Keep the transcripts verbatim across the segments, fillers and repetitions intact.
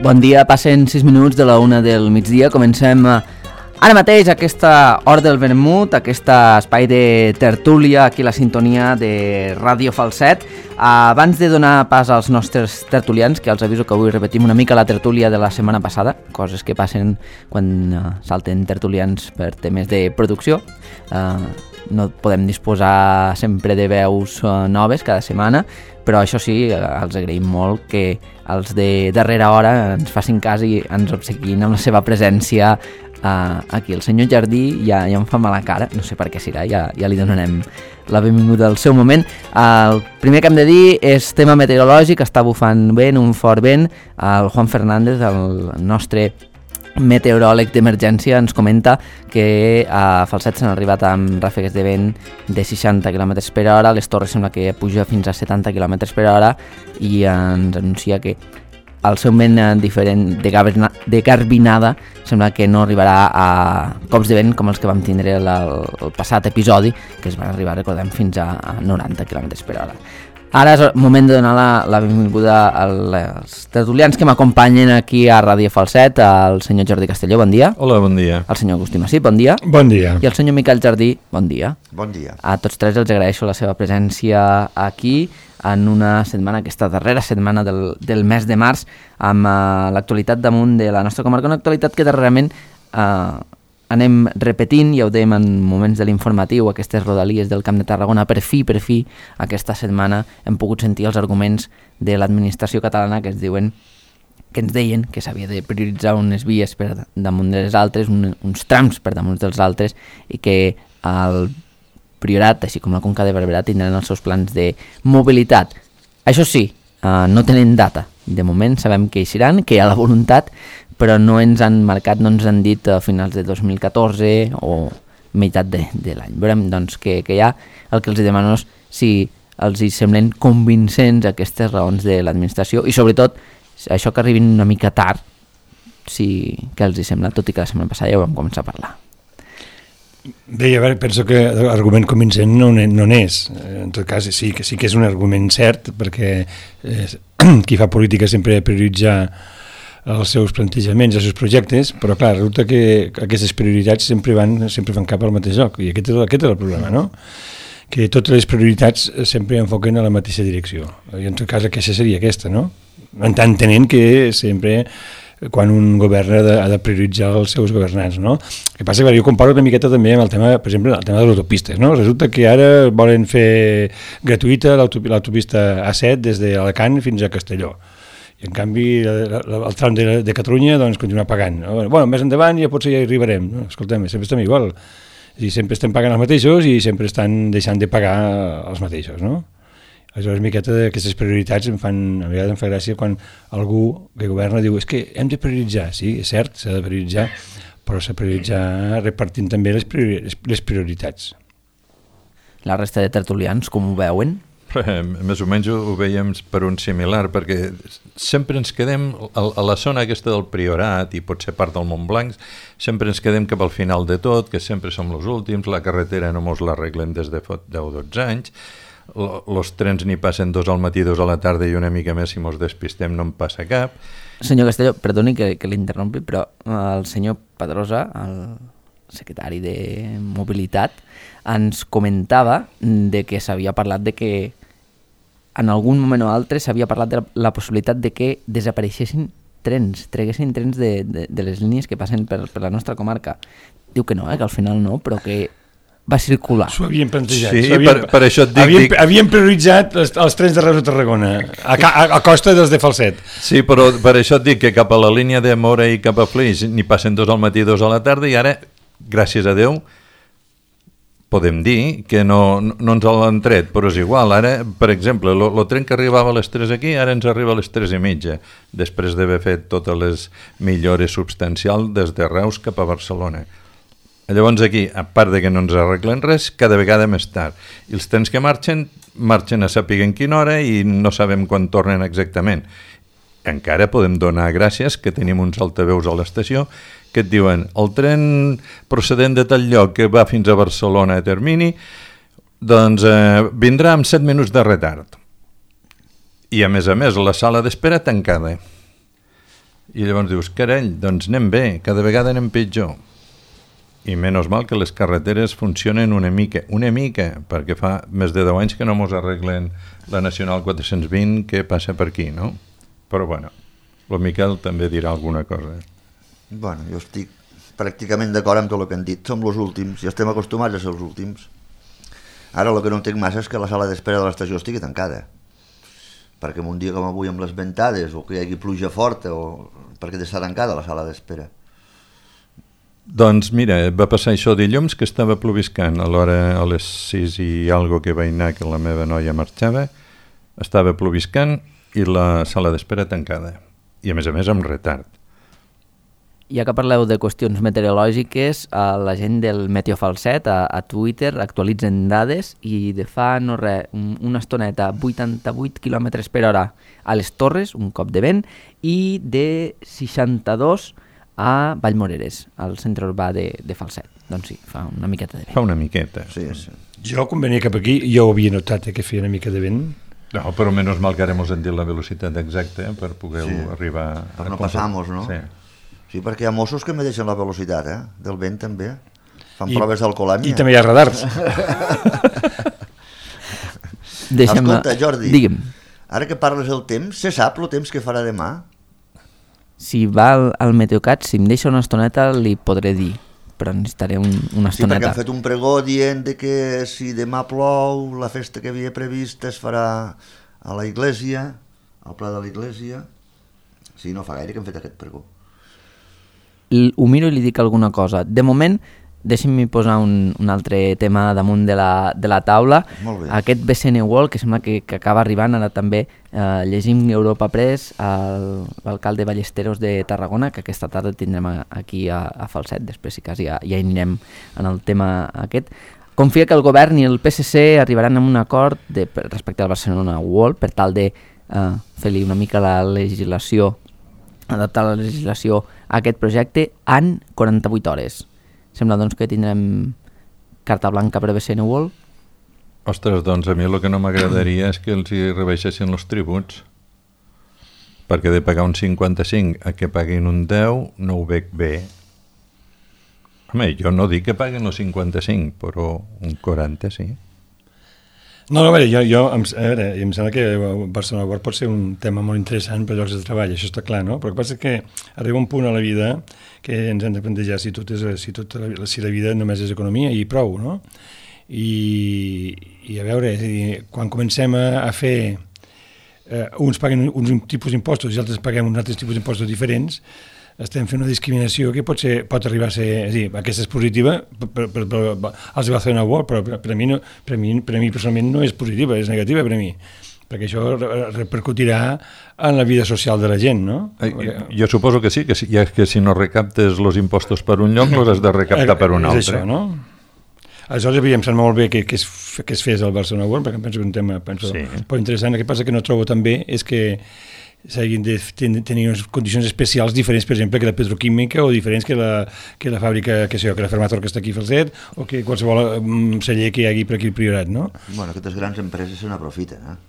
Bon dia, passen sis minuts de la una del migdia. Comencem ara mateix aquesta hora del vermut, aquest espai de tertúlia, aquí a la sintonia de Ràdio Falset. Abans de donar pas als nostres tertulians, que els aviso que avui repetim una mica la tertúlia de la setmana passada, coses que passen quan uh, salten tertulians per temes de producció. Uh, no podem disposar sempre de veus uh, noves cada setmana, però això sí, els agraïm molt que els de darrera hora ens facin cas i ens obsequin amb la seva presència uh, aquí. El senyor Jardí ja, ja em fa mala cara, no sé per què serà, ja, ja li donarem la benvinguda al seu moment. Uh, el primer que hem de dir és tema meteorològic, està bufant vent, un fort vent. El Juan Fernández, el nostre meteoròleg d'emergència, ens comenta que a Falset s'han arribat amb ràfegues de vent de seixanta quilòmetres per hora, les Torres sembla que puja fins a setanta quilòmetres per hora i ens anuncia que el seu vent diferent de, gaberna, de garbinada sembla que no arribarà a cops de vent com els que vam tindre el, el passat episodi, que es van arribar, recordem, fins a noranta quilòmetres per hora. Ara és el moment de donar la, la benvinguda als tertulians que m'acompanyen aquí a Ràdio Falset, el senyor Jordi Castelló, bon dia. Hola, bon dia. El senyor Agustí Massip, bon dia. Bon dia. I el senyor Miquel Jardí, bon dia. Bon dia. A tots tres els agraeixo la seva presència aquí en una setmana, aquesta darrera setmana del, del mes de març, amb uh, l'actualitat damunt de la nostra comarca, una actualitat que darrerament uh, anem repetint, ja ho dèiem en moments de l'informatiu, aquestes rodalies del Camp de Tarragona, per fi, per fi, aquesta setmana hem pogut sentir els arguments de l'administració catalana que ens diuen que ens deien que s'havia de prioritzar unes vies per damunt de les altres, un, uns trams per damunt dels altres, i que el Priorat, així com la Conca de Barberà, tindran els seus plans de mobilitat. Això sí, eh, no tenen data. De moment sabem que hi seran, que hi ha la voluntat, però no ens han marcat, no ens han dit a finals de dos mil catorze o meitat de, de l'any. Veurem doncs que, que hi ha. El que els demano és si els hi semblen convincents aquestes raons de l'administració i sobretot això que arribin una mica tard, si que els hi sembla, tot i que la setmana passada ja ho vam començar a parlar. Bé, a veure, penso que l'argument convincent no n'és. En tot cas, sí que, sí que és un argument cert, perquè eh, qui fa política sempre prioritza els seus plantejaments, els seus projectes, però clar, resulta que aquestes prioritats sempre van, sempre van cap al mateix lloc, i aquest és, aquest és el problema, no? Que totes les prioritats sempre enfoquen a la mateixa direcció, i en tot cas aquesta seria aquesta, no? Entenent que sempre quan un govern ha de, ha de prioritzar els seus governants, no? El que passa que jo comparo una miqueta també amb el tema, per exemple, el tema de les autopistes, no? Resulta que ara volen fer gratuïta l'autopista A set des d'Alacant fins a Castelló. I en canvi el, el tram de, de Catalunya doncs continua pagant. Bueno, més endavant ja potser ja hi arribarem. No? Escolta'm, sempre estem igual. I sempre estem pagant els mateixos i sempre estan deixant de pagar els mateixos, no? Aleshores, miqueta d'aquestes prioritats em fan, a vegades em fa gràcia quan algú que governa diu és que hem de prioritzar, sí, és cert, s'ha de prioritzar, però s'ha de prioritzar repartint també les, priori, les prioritats. La resta de tertulians, com ho veuen? Més o menys ho veiem per un similar, perquè sempre ens quedem a la zona aquesta del Priorat i potser part del Montblanc, sempre ens quedem cap al final de tot, que sempre som els últims, la carretera no mos l'arreglen des de deu o dotze anys, els trens n'hi passen dos al matí, dos a la tarda i una mica més si mos despistem no en passa cap. Senyor Castelló, perdoni que, que l'interrompi, però el senyor Pedrosa, el secretari de Mobilitat, ens comentava de que s'havia parlat de que en algun moment o altre s'havia parlat de la, la possibilitat de que desapareixessin trens, treguessin trens de, de, de les línies que passen per, per la nostra comarca. Diu que no, eh, que al final no, però que va circular. S'ho havien plantejat. Sí, havien, per, per això et dic... Havien, dic... havien prioritzat els, els trens de Reus a Tarragona, a, a, a costa dels de Falset. Sí, però per això et dic que cap a la línia de Móra i cap a Flix n'hi passen dos al matí i dos a la tarda i ara, gràcies a Déu, podem dir que no, no, no ens l'han tret, però és igual. Ara, per exemple, el tren que arribava a les tres aquí, ara ens arriba a les tres i mitja, després d'haver fet totes les millores substancials des de Reus cap a Barcelona. Llavors aquí, a part de que no ens arreglen res, cada vegada més tard. I els trens que marxen, marxen a saber en quina hora i no sabem quan tornen exactament. Encara podem donar gràcies que tenim uns altaveus a l'estació que et diuen el tren procedent de tal lloc que va fins a Barcelona a termini, doncs eh, vindrà amb set minuts de retard. I a més a més la sala d'espera tancada. I llavors dius, carai, doncs anem bé, cada vegada anem pitjor. I menys mal que les carreteres funcionen una mica, una mica, perquè fa més de deu anys que no mos arreglen la Nacional quatre-cents vint que passa per aquí, no? Però bueno, el Miquel també dirà alguna cosa. Bueno, jo estic pràcticament d'acord amb tot el que han dit. Som els últims i estem acostumats a ser els últims. Ara el que no entenc massa és que la sala d'espera de l'estació estigui tancada. Perquè en un dia com avui amb les ventades o que hi hagi pluja forta o perquè està tancada la sala d'espera. Doncs mira, va passar això dilluns que estava ploviscant a l'hora a les sis i algo que vaig anar que la meva noia marxava, estava ploviscant i la sala d'espera tancada i a més a més amb retard. Ja que parleu de qüestions meteorològiques, a la gent del Meteo Falset a, a Twitter actualitzen dades i de fa no res, un, una estoneta, vuitanta-vuit quilòmetres per hora a les Torres, un cop de vent, i de seixanta-dos a Vallmoreres, al centre urbà de, de Falset. Doncs sí, fa una miqueta de vent. Fa una miqueta. Sí, sí. Jo, quan venia cap aquí, jo ho havia notat, eh, que feia una mica de vent. No, però menys mal que ara mos han dit la velocitat exacta eh, per poder sí. arribar... Per no passar-nos, no? Sí. Sí, perquè hi ha Mossos que me deixen la velocitat, eh? Del vent també. Fan I, proves d'alcoholèmia. I també hi ha radars. Escolta, Jordi, digue'm. Ara que parles del temps, se sap el temps que farà demà? Si va al, al Meteocat, si em deixa una estoneta li podré dir, però necessitaré un, una estoneta. Sí, perquè han fet un pregó dient de que si demà plou, la festa que havia prevista es farà a la iglesia, al pla de la iglesia. Sí, no fa gaire que han fet aquest pregó. Ho miro i li dic alguna cosa. De moment, deixi'm posar un, un altre tema damunt de la, de la taula. Aquest B C N World, que sembla que, que acaba arribant, ara també eh, llegim Europa Press, l'alcalde Ballesteros de Tarragona, que aquesta tarda tindrem aquí a, a Falset, després si cas ja, ja anirem en el tema aquest. Confia que el govern i el P S C arribaran a un acord de, respecte al Barcelona World per tal de eh, fer-li una mica la legislació, adaptar la legislació a aquest projecte en quaranta-vuit hores. Sembla doncs que tindrem carta blanca per a B C N World. Ostres, doncs a mi el que no m'agradaria és que els hi rebaixessin els tributs, perquè de pagar un cinquanta-cinc a que paguin un deu no ho veig bé. Home, jo no dic que paguen els cinquanta-cinc, però un quaranta sí. No, no, a veure, jo, jo em, a veure, em sembla que Barcelona World pot ser un tema molt interessant per llocs de treball, això està clar, no? Però el que passa és que arriba un punt a la vida que ens hem de plantejar si, tot és, si, tot la, si la vida només és economia i prou, no? I, i a veure, és a dir, quan comencem a, a fer... Eh, uns paguen uns tipus d'impostos i altres paguem uns altres tipus d'impostos diferents, estem fent una discriminació que pot, ser, pot arribar a ser... És a dir, aquesta és positiva per, per, per, per als de Barcelona World, però per, per, a mi no, per, a mi, per a mi personalment no és positiva, és negativa per a mi, perquè això repercutirà en la vida social de la gent, no? Eh, jo suposo que sí, que si, ja que si no recaptes els impostos per un lloc, els has de recaptar per un altre. És això, no? Aleshores, em sembla molt bé que, que, es, que es fes el Barcelona World, perquè em penso que és un tema penso, sí. Molt interessant. El que passa que no trobo també és que s'hagin de tenir unes condicions especials diferents, per exemple, que la petroquímica o diferents que la, que la fàbrica, que sé jo, que la Fermator que està aquí a Falset o que qualsevol um, celler que hi hagi per aquí al Priorat, no? Bueno, aquestes grans empreses se n'aprofiten, eh?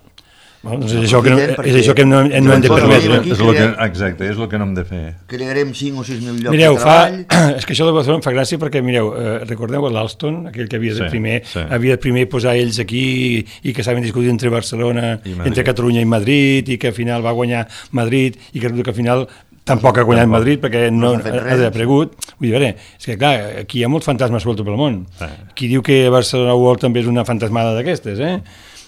Bueno, doncs és això que no, és això que no, no hem de permetre. És lo que, exacte, és el que no hem de fer. Crearem cinc o sis mil llocs mireu, de treball. Fa, és que això de Barcelona em fa gràcia perquè, mireu, eh, recordeu l'Alston, aquell que havia de, sí, primer, sí. havia de primer posar ells aquí i que saben discutir entre Barcelona, entre Catalunya i Madrid, i que al final va guanyar Madrid, i que, que al final tampoc ha guanyat Madrid perquè no, no ha desaparegut. Vull dir, veure, és que clar, aquí hi ha molts fantasmes sueltos pel món. Sí. Qui diu que Barcelona World també és una fantasmada d'aquestes, eh?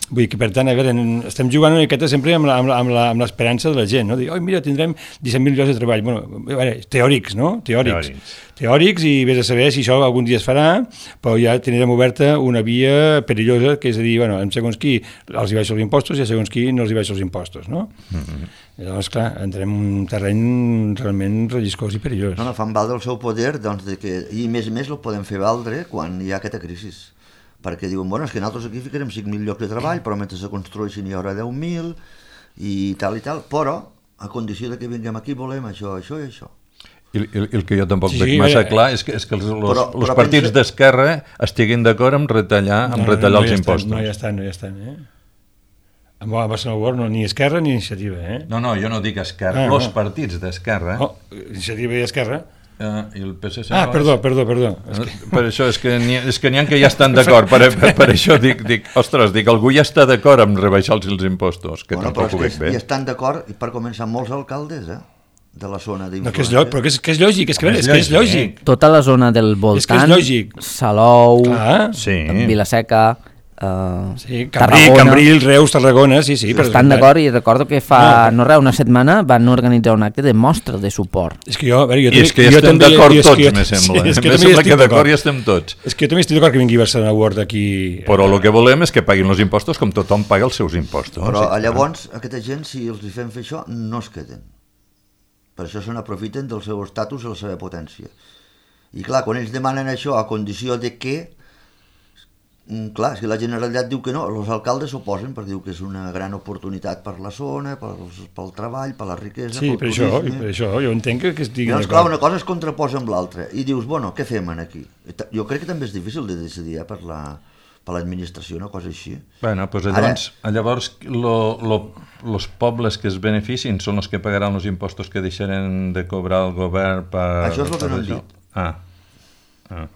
Vull dir que, per tant, a veure, estem jugant una miqueta sempre amb, la, amb, la, amb, la, amb l'esperança de la gent, no? Dir, oh, mira, tindrem disset mil llocs de treball. Bueno, a veure, teòrics, no? Teòrics. Teòrics. Teòrics, i vés a saber si això algun dia es farà, però ja tindrem oberta una via perillosa, que és a dir, bueno, en segons qui els hi baixo els impostos i a segons qui no els hi baixo els impostos, no? Mm-hmm. Llavors, clar, entrem en un terreny realment relliscós i perillós. No, no, fan valdre el seu poder, doncs, de que, i més a més el podem fer valdre quan hi ha aquesta crisi. Perquè diuen, bueno, és que nosaltres aquí ficarem cinc mil llocs de treball, però mentre se construeixin hi haurà deu mil i tal i tal, però a condició de que vinguem aquí volem això, això i això. I el, el que jo tampoc sí, veig massa eh, clar és que, és que els, els, però, els partits pensa... d'esquerra estiguin d'acord amb retallar, amb no, retallar no, no els impostos. Estan, no hi estan, no hi estan, eh? Amb Barcelona World no, ni Esquerra ni Iniciativa, eh? No, no, jo no dic Esquerra, ah, els no. partits d'Esquerra. Oh, Iniciativa i Esquerra. Uh, i el P S C Ah, no perdó, és... perdó, perdó. És que... Per això és que n'hi ha, és que n'hi ha que ja estan d'acord, per, per, per això dic, dic, ostres, dic, algú ja està d'acord amb rebaixar-los els impostos, que bueno, tampoc ho veig bé. I estan d'acord, i per començar, molts alcaldes, eh? De la zona d'influència. No, que és, lògic, però que és, que és lògic, és que, és, que és lògic. Tota la zona del voltant, és que és lògic. Salou, Clar. Sí. Vilaseca, uh, sí, Cambril, Cambril, Reus, Tarragona, sí, sí. Estan d'acord i recordo que fa no, no res, una setmana van organitzar un acte de mostra de suport. És que jo, a veure, jo I és que ja estem d'acord tots, me sembla. Sí, és que me sembla que d'acord ja estem tots. És que jo també estic d'acord que vingui Barcelona World aquí. Però el que volem és que paguin els impostos com tothom paga els seus impostos. Però llavors aquesta gent, si els hi fem fer això, no es queden. Per això se n'aprofiten del seu estatus i la seva potència. I clar, quan ells demanen això a condició de que, clar, si la Generalitat diu que no, els alcaldes s'oposen perquè diu que és una gran oportunitat per la zona, pel, pel treball, per la riquesa, sí, pel per turisme. Sí, per això, jo entenc que, que estiguin d'acord. Clar, una cosa es contraposa amb l'altra i dius, bueno, què fem aquí? Jo crec que també és difícil de decidir eh, per la... per l'administració, una cosa així. Bueno, doncs llavors, Ara... llavors lo, lo, los pobles que es beneficien són els que pagaran els impostos que deixaran de cobrar el govern per... Això és el que no hem dit. Ah. ah.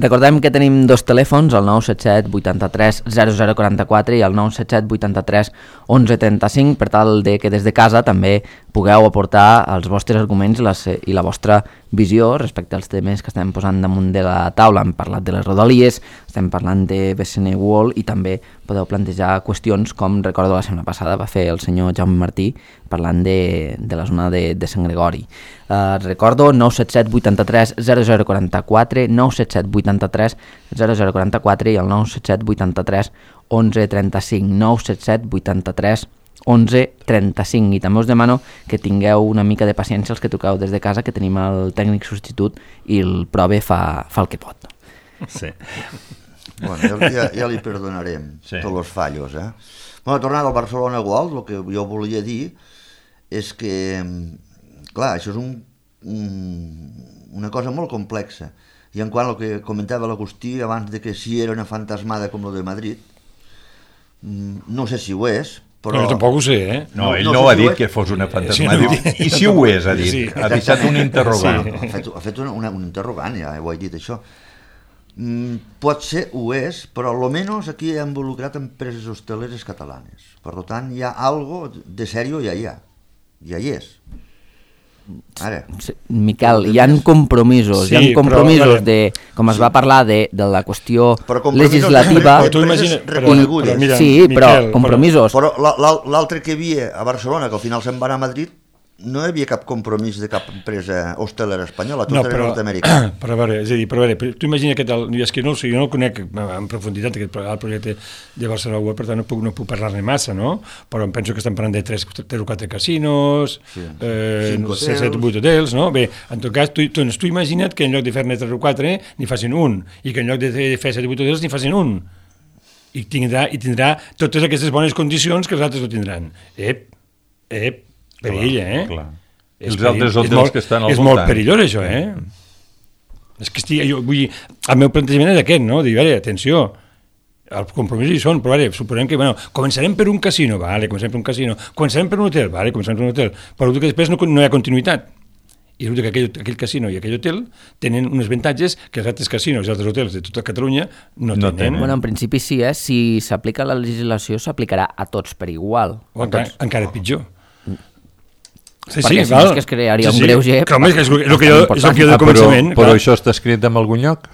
Recordem que tenim dos telèfons, el nou set set vuitanta-tres zero zero quaranta-quatre i el nou set set vuitanta-tres onze trenta-cinc, per tal de que des de casa també pugueu aportar els vostres arguments les, i la vostra visió respecte als temes que estem posant damunt de la taula. Hem parlat de les rodalies, estem parlant de B C N World i també podeu plantejar qüestions com recordo la setmana passada va fer el senyor Jaume Martí parlant de, de la zona de, de Sant Gregori. Uh, recordo nou set set vuitanta-tres zero zero quaranta-quatre, nou set set vuitanta-tres zero zero quaranta-quatre i el nou set set vuitanta-tres onze trenta-cinc, nou set set vuitanta-tres onze trenta-cinc. I també us demano que tingueu una mica de paciència els que truqueu des de casa, que tenim el tècnic substitut i el prove fa, fa el que pot. Sí. Bueno, ja, ja li perdonarem sí. tots els fallos, eh? Bueno, tornant al Barcelona World, el que jo volia dir és que, clar, això és un, un, una cosa molt complexa. I en quant al que comentava l'Agustí abans de que si era una fantasmada com la de Madrid, no sé si ho és, però... No, jo tampoc ho sé, eh? No, ell no, no, no ha dit que fos una fantasmada. Sí, no. I si ho és, ha dit. Sí. Ha deixat un interrogant. Sí. Ha fet, ha fet una, una, un interrogant, ja ho he dit, això. Mm, pot ser, ho és, però almenys aquí hi ha involucrat empreses hosteleres catalanes. Per tant, hi ha algo de sèrio, ja hi ha. Ja hi és. Ara. Sí, Miquel, hi ha compromisos, sí, hi ha compromisos però, de, com es sí. va parlar de, de la qüestió legislativa. Però tu imagina, però, però, mira, sí, Miquel, però compromisos. Però, però l'altre que hi havia a Barcelona, que al final se'n va anar a Madrid, no hi havia cap compromís de cap empresa hostelera espanyola, tot no, era nord-americà. Però a veure, és a dir, però a veure, tu imagina que tal, és que no, jo no el conec en profunditat aquest el projecte de Barcelona World, per tant no puc, no puc parlar-ne massa, no? Però em penso que estan parlant de tres o quatre casinos, sí. eh, set o vuit hotels, no? Bé, en tot cas, tu, tu, tu imagina't que en lloc de fer-ne tres o quatre n'hi facin un, i que en lloc de fer set o vuit hotels n'hi facin un. I tindrà, i tindrà totes aquestes bones condicions que els altres no tindran. Ep, ep, perill, eh? Clar. Els altres hotels molt, que estan al és voltant. És molt perillós, això, eh? És que estic, jo, vull dir, el meu plantejament és aquest, no? Dir, a veure, atenció, els compromisos hi són, però a veure, suposem que, bueno, començarem per un casino, vale, començarem per un casino, començarem per un hotel, vale, començarem per un hotel, però que després no, no hi ha continuïtat. I resulta que aquell, aquell casino i aquell hotel tenen uns avantatges que els altres casinos i altres hotels de tota Catalunya no, no tenen. tenen. Bueno, en principi sí, eh? Si s'aplica la legislació s'aplicarà a tots per igual. O encara, tots. encara pitjor. Sí, perquè sí, si no és que es crearia sí, un greuge... Clar, és, que és, el que jo, és el que jo de començament... Ah, però, però això està escrit en algun lloc?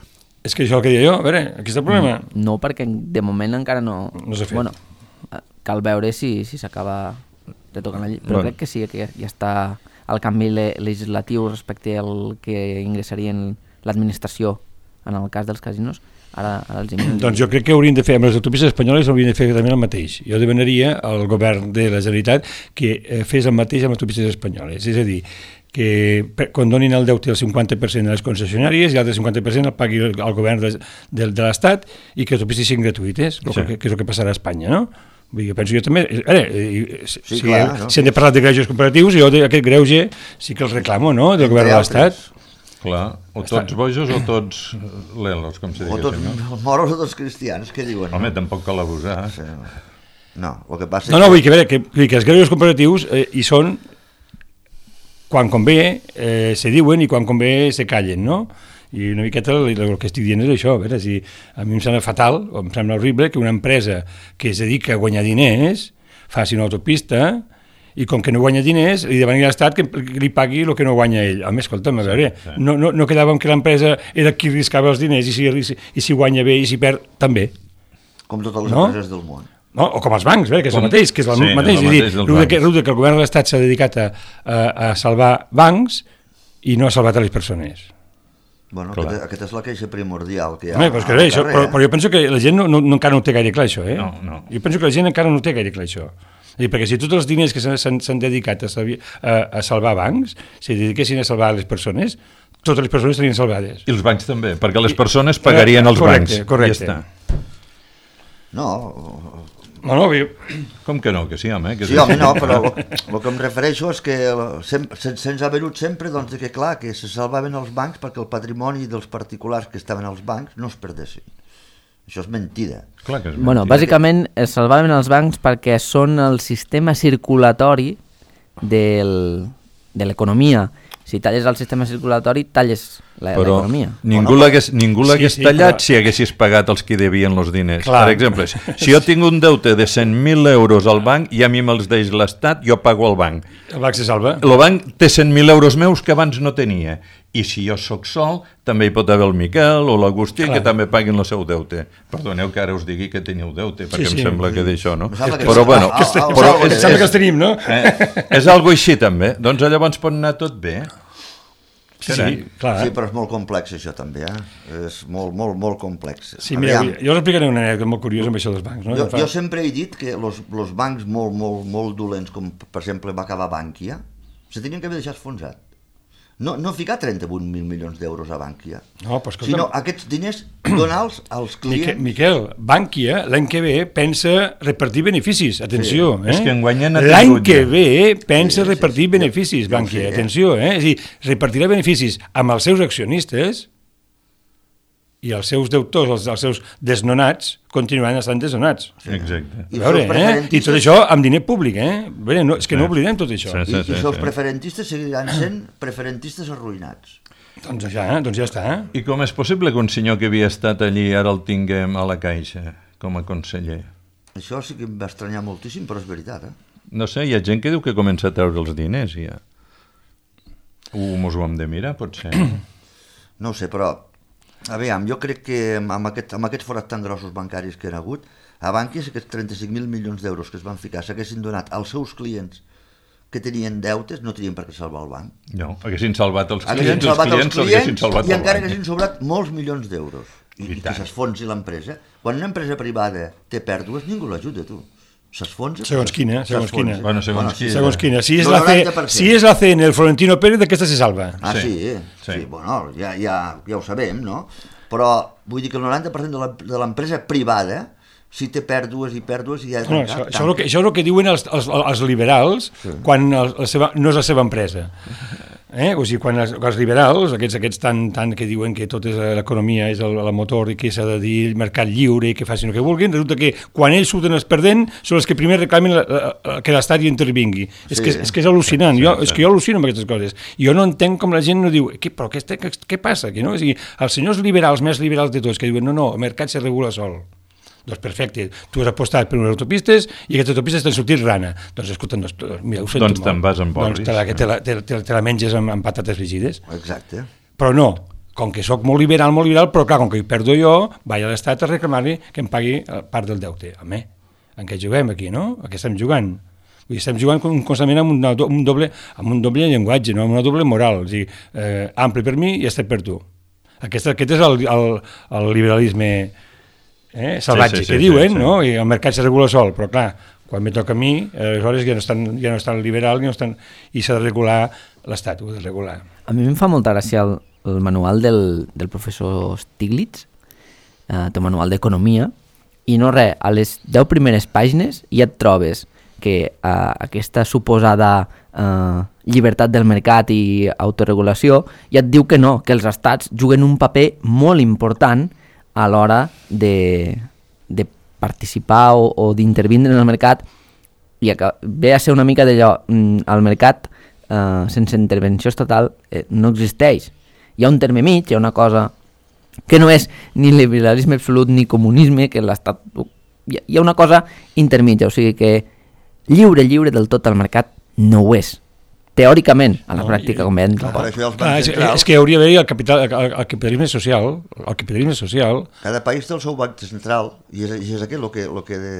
És que això és el que deia jo, a veure, aquí està el problema. No, perquè de moment encara no... No s'ha fet. Bueno, cal veure si s'acaba si de tocar la llei, però bueno. Crec que sí, que ja està el canvi legislatiu respecte al que ingressaria en l'administració en el cas dels casinos. Ara, ara els imagino. Doncs jo crec que haurien de fer amb les autopistes espanyoles, haurien de fer també el mateix. Jo demanaria al govern de la Generalitat que fes el mateix amb les autopistes espanyoles, és a dir, que quan donin el deute el cinquanta per cent de les concessionàries i l'altre cinquanta per cent el pagui el govern de, de, de l'Estat i que les autopistes siguin gratuïtes, sí. que, que és el que passarà a Espanya, no? Jo penso jo també, ara, si, sí, clar, si, no? si hem de parlar de greuges comparatius, jo aquest greuge sí que els reclamo, no?, del govern de l'Estat. Clar, o tots bojos o tots lelos, com se diu. O tots no? moros o tots cristians, què diuen? Home, no? Tampoc cal abusar. Sí. No, el que passa No, no, vull que, veure, que, vull que els greuges comparatius eh, hi són quan convé eh, se diuen i quan convé se callen, no? I una miqueta el, el que estic dient és això, a veure, si a mi em sembla fatal, o em sembla horrible que una empresa que es dedica a guanyar diners faci una autopista i com que no guanya diners, li demani a l'Estat que li pagui el que no guanya ell. A més, escolta'm, a veure, sí, sí. No, no, no quedava que l'empresa era qui riscava els diners i si, i si guanya bé i si perd, també. Com totes les no? empreses del món. No? O com els bancs, bé, que és com... el mateix, que és el sí, mateix. El mateix dir, que, que el govern de l'Estat s'ha dedicat a, a, a salvar bancs i no ha salvat a les persones. Bueno, aquesta, aquesta és la queixa primordial que hi ha. Home, però, que bé, això, però, però jo penso que la gent no, no, encara no té gaire clar això, eh? No, no. Jo penso que la gent encara no té gaire clar això. I perquè si tots els diners que s'han dedicat a, a, a salvar bancs, si dediquessin a salvar les persones, totes les persones serien salvades. I els bancs també, perquè les persones pagarien els correcte, bancs. Correcte, ja correcte. No, no, no, com que no? Que sí, home. Que sí, sí, home, no, però el que em refereixo és que sempre, se'ns ha venut sempre doncs, que clar, que se salvaven els bancs perquè el patrimoni dels particulars que estaven als bancs no es perdessin. Això és mentida. Clar que és mentida. Bueno, bàsicament es salvaven els bancs perquè són el sistema circulatori del, de l'economia. Si talles el sistema circulatori, talles l'economia. Però ningú l'hagués sí, sí, tallat però... si haguessis pagat els que devien els diners. Clar. Per exemple, si jo tinc un deute de cent mil euros al banc i a mi me'ls deix l'Estat, jo pago al banc. El banc se salva. El banc té cent mil euros meus que abans no tenia. I si jo sóc sol, també hi pot haver el Miquel o l'Agustí que també paguin el seu deute. Perdoneu que ara us digui que teniu deute, perquè sí, sí. em sembla que d'això, no? Però bueno, però és, sembla que els tenim, no? Eh, és algo així també. Doncs llavors pot anar tot bé. Sí, sí, clar. Sí, però és molt complex això també, eh? És molt, molt, molt complex. Sí, mira, jo us explicaré una anècdota molt curiosa amb això dels bancs. No? Jo, jo sempre he dit que els bancs molt, molt, molt dolents, com per exemple va acabar Bànquia, se tenien que haver deixat esfonsat. No, no ficar trenta-vuit mil milions d'euros a Bànquia, no, però escolta, sinó aquests diners donar-los als clients. Miquel, Bànquia l'any que ve pensa repartir beneficis, atenció. Sí. Eh? És que enguanyen l'any que ve pensa sí, repartir sí, beneficis, sí, Bànquia, sí, eh? atenció. Eh? És a dir, repartirà beneficis amb els seus accionistes i els seus deutors, els, els seus desnonats, continuaran estant desnonats. Sí. Exacte. I, veure, eh? I tot això amb diner públic, eh? Bé, no, és que sí. no oblidem tot això. Sí, sí, sí, I, i els sí. preferentistes seguiran sent preferentistes arruïnats. Doncs ja, doncs ja està. Eh? I com és possible que un senyor que havia estat allí ara el tinguem a la Caixa com a conseller? Això sí que em va estranyar moltíssim, però és veritat, eh? No sé, hi ha gent que diu que comença a treure els diners, ja. Uh, mos ho hem de mirar, potser. No ho sé, però aviam, jo crec que amb, aquest, amb aquests forats tan grossos bancaris que han hagut, a Bànquia aquests trenta-cinc mil milions d'euros que es van ficar s'haguessin donat als seus clients que tenien deutes, no tenien per què salvar el banc. No, haguessin salvat els clients, haguessin salvat els clients, els clients salvat i encara haguessin sobrat molts milions d'euros. I, I, i que s'esfonsi l'empresa. Quan una empresa privada té pèrdues, ningú l'ajuda, tu. S'esfonsa. Segons quina, segons quina. Bueno, segons, bueno, quina. segons quina. Si és, la C, si és la C N, el Florentino Pérez, d'aquesta se salva. Ah, sí? Sí, sí. sí bueno, ja, ja, ja ho sabem, no? Però vull dir que el noranta per cent de l'empresa privada, si té pèrdues i pèrdues... I ja no, això, això, és el que, això és el que diuen els, els, els liberals sí. quan el, la seva, no és la seva empresa. Eh? O sigui, quan els, els liberals, aquests, aquests tan, tan que diuen que tot és l'economia és el, el motor i que s'ha de dir mercat lliure i que facin el que vulguin, resulta que quan ells surten els perdent són els que primer reclamen la, la, que l'Estat hi intervingui. Sí. És, que, és que és al·lucinant, sí, jo, sí. és que jo al·lucino amb aquestes coses. Jo no entenc com la gent no diu, què, però què, què, què passa? Que no? O sigui, els senyors liberals, més liberals de tots, que diuen, no, no, el mercat se regula sol. Doncs perfecte, tu has apostat per unes autopistes i aquestes autopistes t'han sortit rana. Doncs escolta, doncs, mira, ho sento doncs te'n vas amb Boris. Doncs te la, te la, te, te, te la menges amb, amb patates frigides. Exacte. Però no, com que sóc molt liberal, molt liberal, però clar, com que hi perdo jo, vaig a l'Estat a reclamar-li que em pagui part del deute. Home, en què juguem aquí, no? A què estem jugant? Vull dir, estem jugant constantment amb, una, un doble, amb un doble llenguatge, no? Amb una doble moral. O sigui, eh, ampli per mi i estat per tu. Aquest, aquest és el, el, el liberalisme... Eh, salvatge, sí, sí, que sí, diuen, sí, sí. No? I el mercat se regula sol, però clar, quan me toca a mi, aleshores ja no estan, ja no estan liberal ja no estan, i s'ha de regular l'Estat, ho ha de regular. A mi em fa molta gràcia el, el manual del, del professor Stiglitz, eh, té un manual d'economia, i no res, a les deu primeres pàgines ja et trobes que eh, aquesta suposada eh, llibertat del mercat i autoregulació ja et diu que no, que els estats juguen un paper molt important a l'hora de, de participar o, o d'intervindre en el mercat, i ve a ser una mica d'allò, el mercat eh, sense intervenció estatal eh, no existeix. Hi ha un terme mig, hi ha una cosa que no és ni liberalisme absolut ni comunisme, que l'estat... Hi ha una cosa intermitja, o sigui que lliure, lliure del tot el mercat no ho és. Teòricament, a la no, pràctica, com veiem. No, per això els ah, és, és que hauria d'haver el, capital, el, el capitalisme social, el capitalisme social... Cada país té el seu banc central, i és, i és aquest el que, el que de...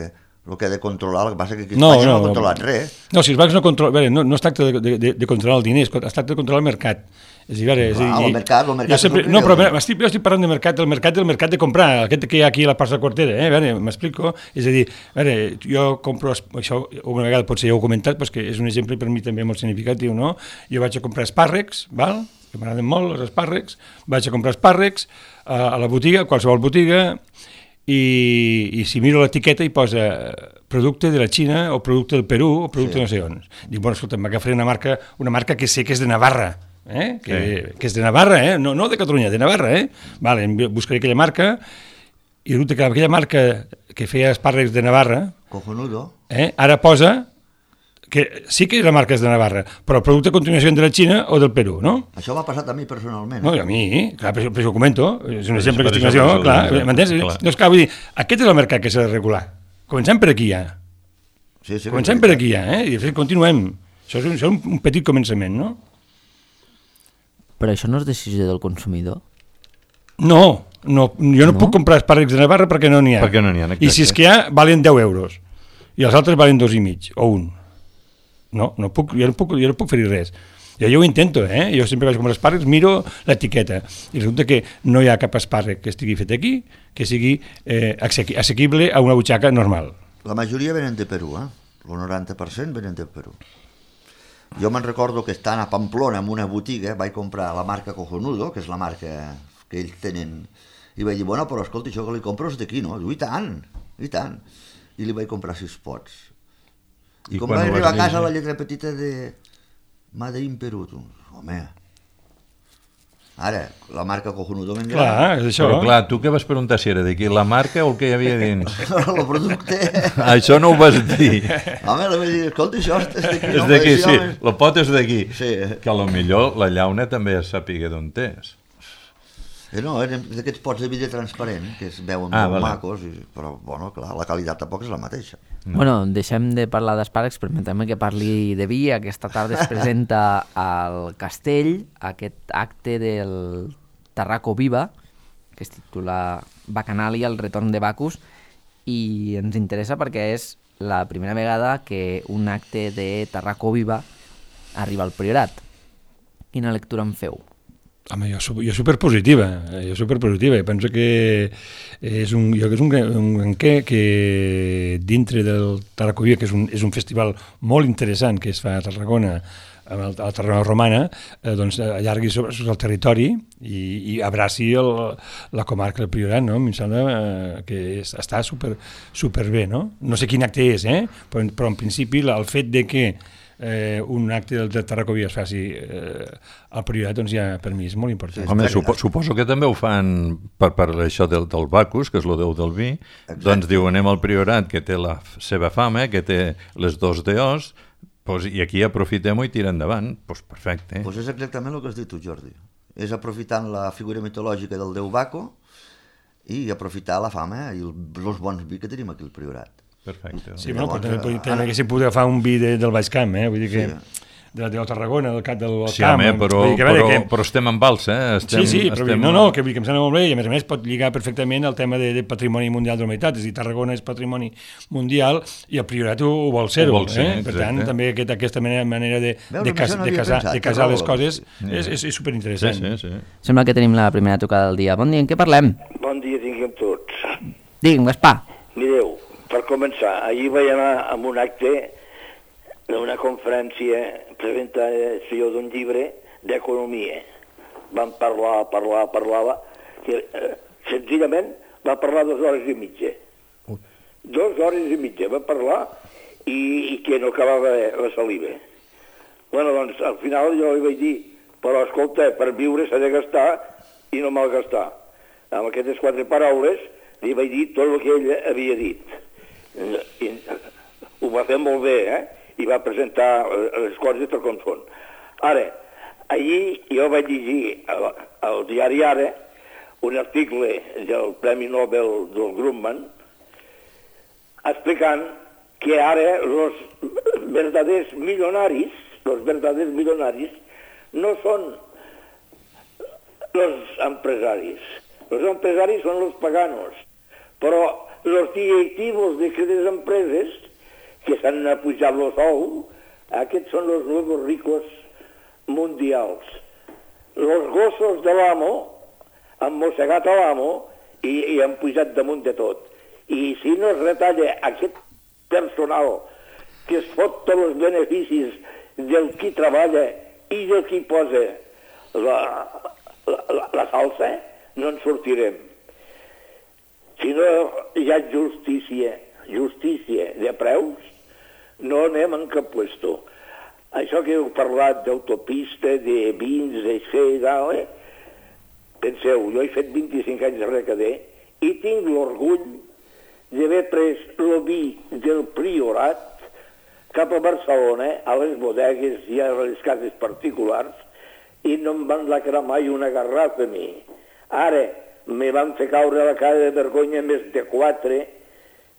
el que ha de controlar, el que passa que aquí a Espanya no, no, no ha controlat no, res. No, si els bancs no controlen... No, no es tracta de, de, de controlar el diner, es tracta de controlar el mercat. És a dir, és ah, el mercat, el mercat... Sempre, no, però estic, jo estic parlant de mercat, del mercat del mercat de comprar, aquest que hi ha aquí a la plaça Quartera, eh? Veure, m'explico? És a dir, veure, jo compro, això una vegada potser ja ho he comentat, però que és un exemple per mi també molt significatiu, no? Jo vaig a comprar espàrrecs, val? Que m'agraden molt els espàrrecs, vaig a comprar espàrrecs a, a la botiga, a qualsevol botiga, i, i si miro l'etiqueta hi posa producte de la Xina o producte del Perú o producte sí. no sé on. Dic, bueno, escolta, m'agafaré una marca, una marca que sé que és de Navarra, eh? que, sí. que és de Navarra, eh? no, no de Catalunya, de Navarra. Eh? Vale, buscaré aquella marca i resulta que aquella marca que feia espàrrecs de Navarra, cojonudo, eh? ara posa que sí que la marca és de Navarra, però el producte a continuació de la Xina o del Perú, no? Això m'ha passat a mi personalment. No, a mi, clar, per, per això ho comento, és un exemple que estic nació, clar, m'entens? Doncs clar, vull dir, aquest és el mercat que s'ha de regular. Comencem per aquí, ja. Sí, sí, Comencem per aquí, ja, eh? I continuem. Això és un, això és un petit començament, no? Però això no és decisió del consumidor? No, no jo no, no puc comprar espàrrecs de Navarra perquè no n'hi ha. Perquè no n'hi ha, exacte. I si és que hi ha, valen deu euros. I els altres valen dos i mig, o un. No, no puc, jo, no puc, jo no puc fer res. Jo, jo ho intento, eh? Jo sempre vaig comprar espàrrecs, miro l'etiqueta, i resulta que no hi ha cap espàrrec que estigui fet aquí, que sigui eh, assequible a una butxaca normal. La majoria venen de Perú, eh? El noranta per cent venen de Perú. Jo me'n recordo que estant a Pamplona en una botiga vaig comprar la marca Cojonudo, que és la marca que ells tenen, i vaig dir, bueno, però escolta, això que li compro és d'aquí, no? Diu, i tant, i tant. I li vaig comprar sis pots. I, I com vaig arribar a casa la lletra petita de Made in Perú, tu, home, ara, la marca Cojonudo m'engana. Clar, és això. Però clar, tu què vas preguntar si era d'aquí, la marca o el que hi havia dins? El producte. Això no ho vas dir. Home, li vaig dir, escolta, això és d'aquí. És d'aquí, sí, el pot és d'aquí. Sí. Que a lo millor la llauna també es sàpiga d'on és. Eh, no, eren d'aquests pots de vidre transparent, que es veuen ah, molt vale. macos, i, però, bueno, clar, la qualitat tampoc és la mateixa. No. Bueno, deixem de parlar d'espàrrecs, permetem que parli de vi. Aquesta tarda es presenta al Castell aquest acte del Tarraco Viva, que es titula Bacanàlia, el retorn de Bacus, i ens interessa perquè és la primera vegada que un acte de Tarraco Viva arriba al Priorat. Quina lectura en feu? Home, jo, jo superpositiva, jo superpositiva, penso que és un, jo que és un, un que, que dintre del Tarracovia, que és un, és un festival molt interessant que es fa a Tarragona, a la Tarragona romana, eh, doncs allargui sobre, sobre el territori i, i abraci el, la comarca del Priorat, no? Em sembla eh, que és, està super, super bé, no? No sé quin acte és, eh? però, però en principi el fet de que Eh, un acte del, del Tarracovia es faci eh, al Priorat, doncs ja per mi és molt important. Sí, home, supo, suposo que també ho fan per, per això del, del Bacus, que és el déu del vi. Exacte. Doncs diu, anem al Priorat, que té la seva fama, que té les dos deós, pues, i aquí aprofitem-ho i tira endavant. Pues perfecte. Pues és exactament el que has dit tu, Jordi. És aprofitant la figura mitològica del déu Baco i aprofitar la fama i el, els bons vi que tenim aquí al Priorat. Perfecte. Sí, bueno, però també, també haguéssim pogut agafar un vi de, del Baix Camp, eh? Vull dir que... Sí. De la de Tarragona, del cap del sí, camp. Sí, home, però, que, però, que... però estem en vals, eh? Estem, sí, sí, però estem... no, no, que, que em sembla molt bé i a més a més pot lligar perfectament al tema de, de patrimoni mundial de la humanitat, és a dir, Tarragona és patrimoni mundial i el Priorat ho, ho vol ser-ho, eh? Per tant, també aquest, aquesta manera, manera de, Veus, de, cas, no de, casar, pensat, de casar les coses sí. és, és, és superinteressant. Sí, sí, sí. Sembla que tenim la primera tocada del dia. Bon dia, en què parlem? Bon dia tinguem tots. Digue'm, Gaspar. Mireu, per començar, ahir vaig anar a un acte d'una conferència, presentació d'un llibre d'economia. Van parlar, parlar, parlava, que eh, senzillament va parlar dues hores i mitja. Uh. Dues hores i mitja va parlar i, i que no acabava la saliva. Bueno, doncs, al final jo li vaig dir, però escolta, per viure s'ha de gastar i no malgastar. Amb aquestes quatre paraules li vaig dir tot el que ell havia dit. I ho va fer molt bé, eh? I va presentar les coses per com són. Ara, ahir jo vaig llegir al, al diari Ara un article del Premi Nobel del Grumman explicant que ara els verdaders milionaris, els verdaders milionaris no són els empresaris. Els empresaris són els paganos, però els directivos d'aquestes empreses que s'han apujat el sou, aquests són els nuevos ricos mundials. Els gossos de l'amo han mossegat a l'amo i, i han pujat damunt de tot. I si no es retalla aquest personal que es fot tots els beneficis del qui treballa i del qui posa la, la, la, la salsa, no en sortirem. Si no hi ha justícia, justícia de preus, no anem en cap puesto. Això que heu parlat d'autopista, de vins, d'això i tal, eh? Penseu, jo he fet vint-i-cinc anys de recader i tinc l'orgull d'haver pres el vi del Priorat cap a Barcelona, a les bodegues i a les cases particulars, i no em van lacrar mai una garrafa a mi. Ara me van fer caure la cara de vergonya més de quatre,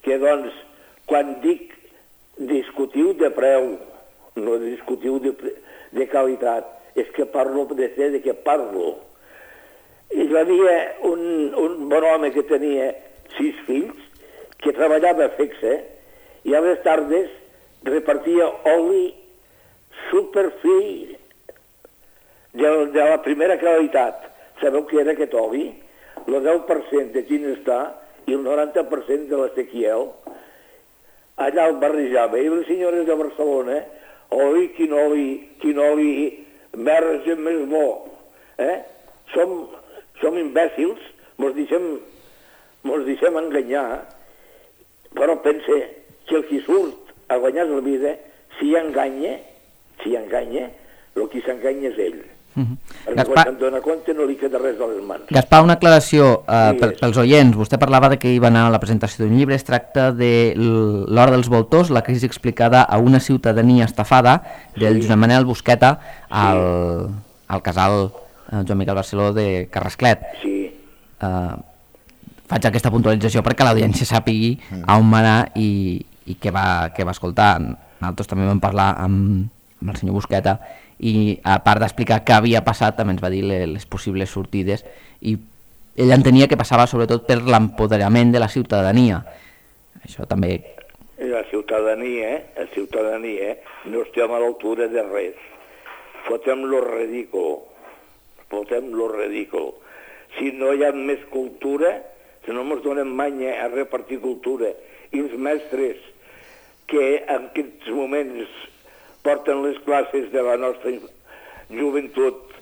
que doncs, quan dic discutiu de preu, no discutiu de, de qualitat, és que parlo de ser de què parlo. Hi havia un, un bon home que tenia sis fills, que treballava fixe, i a les tardes repartia oli superfi de, de la primera qualitat. Sabeu què era aquest oli? El deu per cent de Ginestar i el noranta per cent de la Sequiel. Allà el barrejava. I les senyores de Barcelona, oi, quin oli, quin oli verge més bo. Eh? Som, som imbècils, mos deixem, mos deixem enganyar, però pense que el qui surt a guanyar la vida, si enganya, si enganya, el qui s'enganya és ell. Uh-huh. Perquè Gaspar... quan se'n dona compte no li queda res a les mans. Gaspar, una aclaració uh, sí, pels oients. Vostè parlava de que hi va anar a la presentació d'un llibre. Es tracta de L'Hora dels Voltors, la crisi explicada a una ciutadania estafada, del sí. Josep Manel Busqueta al, sí. al casal uh, Joan Miquel Barceló de Carrasclet. Sí. Uh, faig aquesta puntualització perquè l'audiència sàpigui a on va anar i, i què, va, què va escoltar. Nosaltres també vam parlar amb, amb el senyor Busqueta i a part d'explicar què havia passat també ens va dir les, les possibles sortides i ell entenia que passava sobretot per l'empoderament de la ciutadania. Això també... La ciutadania, la ciutadania no estem a l'altura de res. Fotem lo ridícul. Fotem lo ridícul. Si no hi ha més cultura, si no ens donem manya a repartir cultura, i els mestres que en aquests moments porten les classes de la nostra joventut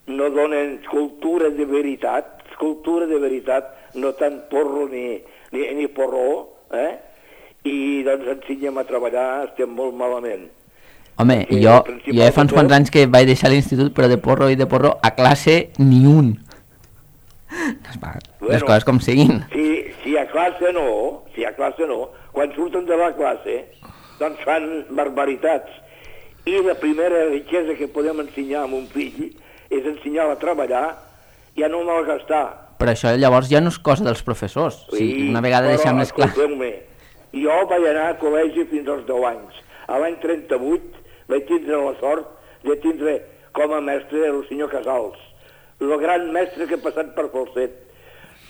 no donen cultura de veritat, cultura de veritat, no tant porro ni, ni, ni porró, eh? I doncs ensenyem a treballar, estem molt malament. Home, i jo, jo ja fa uns quants anys que vaig deixar l'institut, però de porro i de porro a classe ni un. Bueno, les coses com siguin. Si, si a classe no, si a classe no, quan surten de la classe, doncs fan barbaritats. I la primera riquesa que podem ensenyar a un fill és ensenyar-lo a treballar i a no malgastar. Però això llavors ja no és cosa dels professors. Sí, si una vegada deixem les classes... Jo vaig anar a col·legi fins als deu anys. A l'any trenta-vuit vaig tindre la sort de tindre com a mestre el senyor Casals, el gran mestre que ha passat per Falset.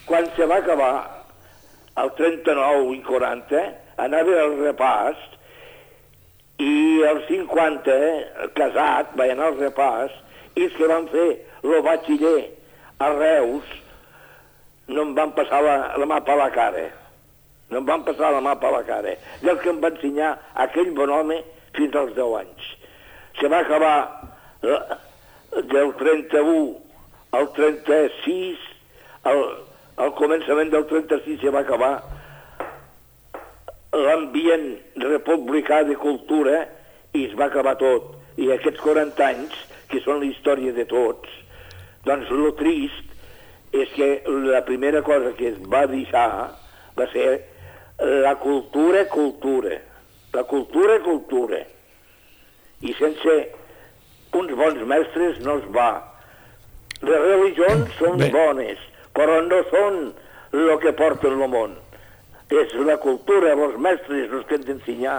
Quan se va acabar, el trenta-nou i quaranta, anava al repàs i el cinquanta, casat, vaig anar al repàs i els que van fer el batxiller a Reus no em van passar la, la mà per la cara. No em van passar la mà per la cara. Del que em va ensenyar aquell bon home fins als deu anys. Se va acabar del trenta-u al trenta-sis, al, al començament del trenta-sis se va acabar l'ambient republicà de cultura i es va acabar tot. I aquests quaranta anys, que són la història de tots, doncs el trist és que la primera cosa que es va deixar va ser la cultura, cultura. La cultura, cultura. I sense uns bons mestres no es va. Les religions són Bé. bones, però no són el que porten el món. És la cultura, els mestres, els que han d'ensenyar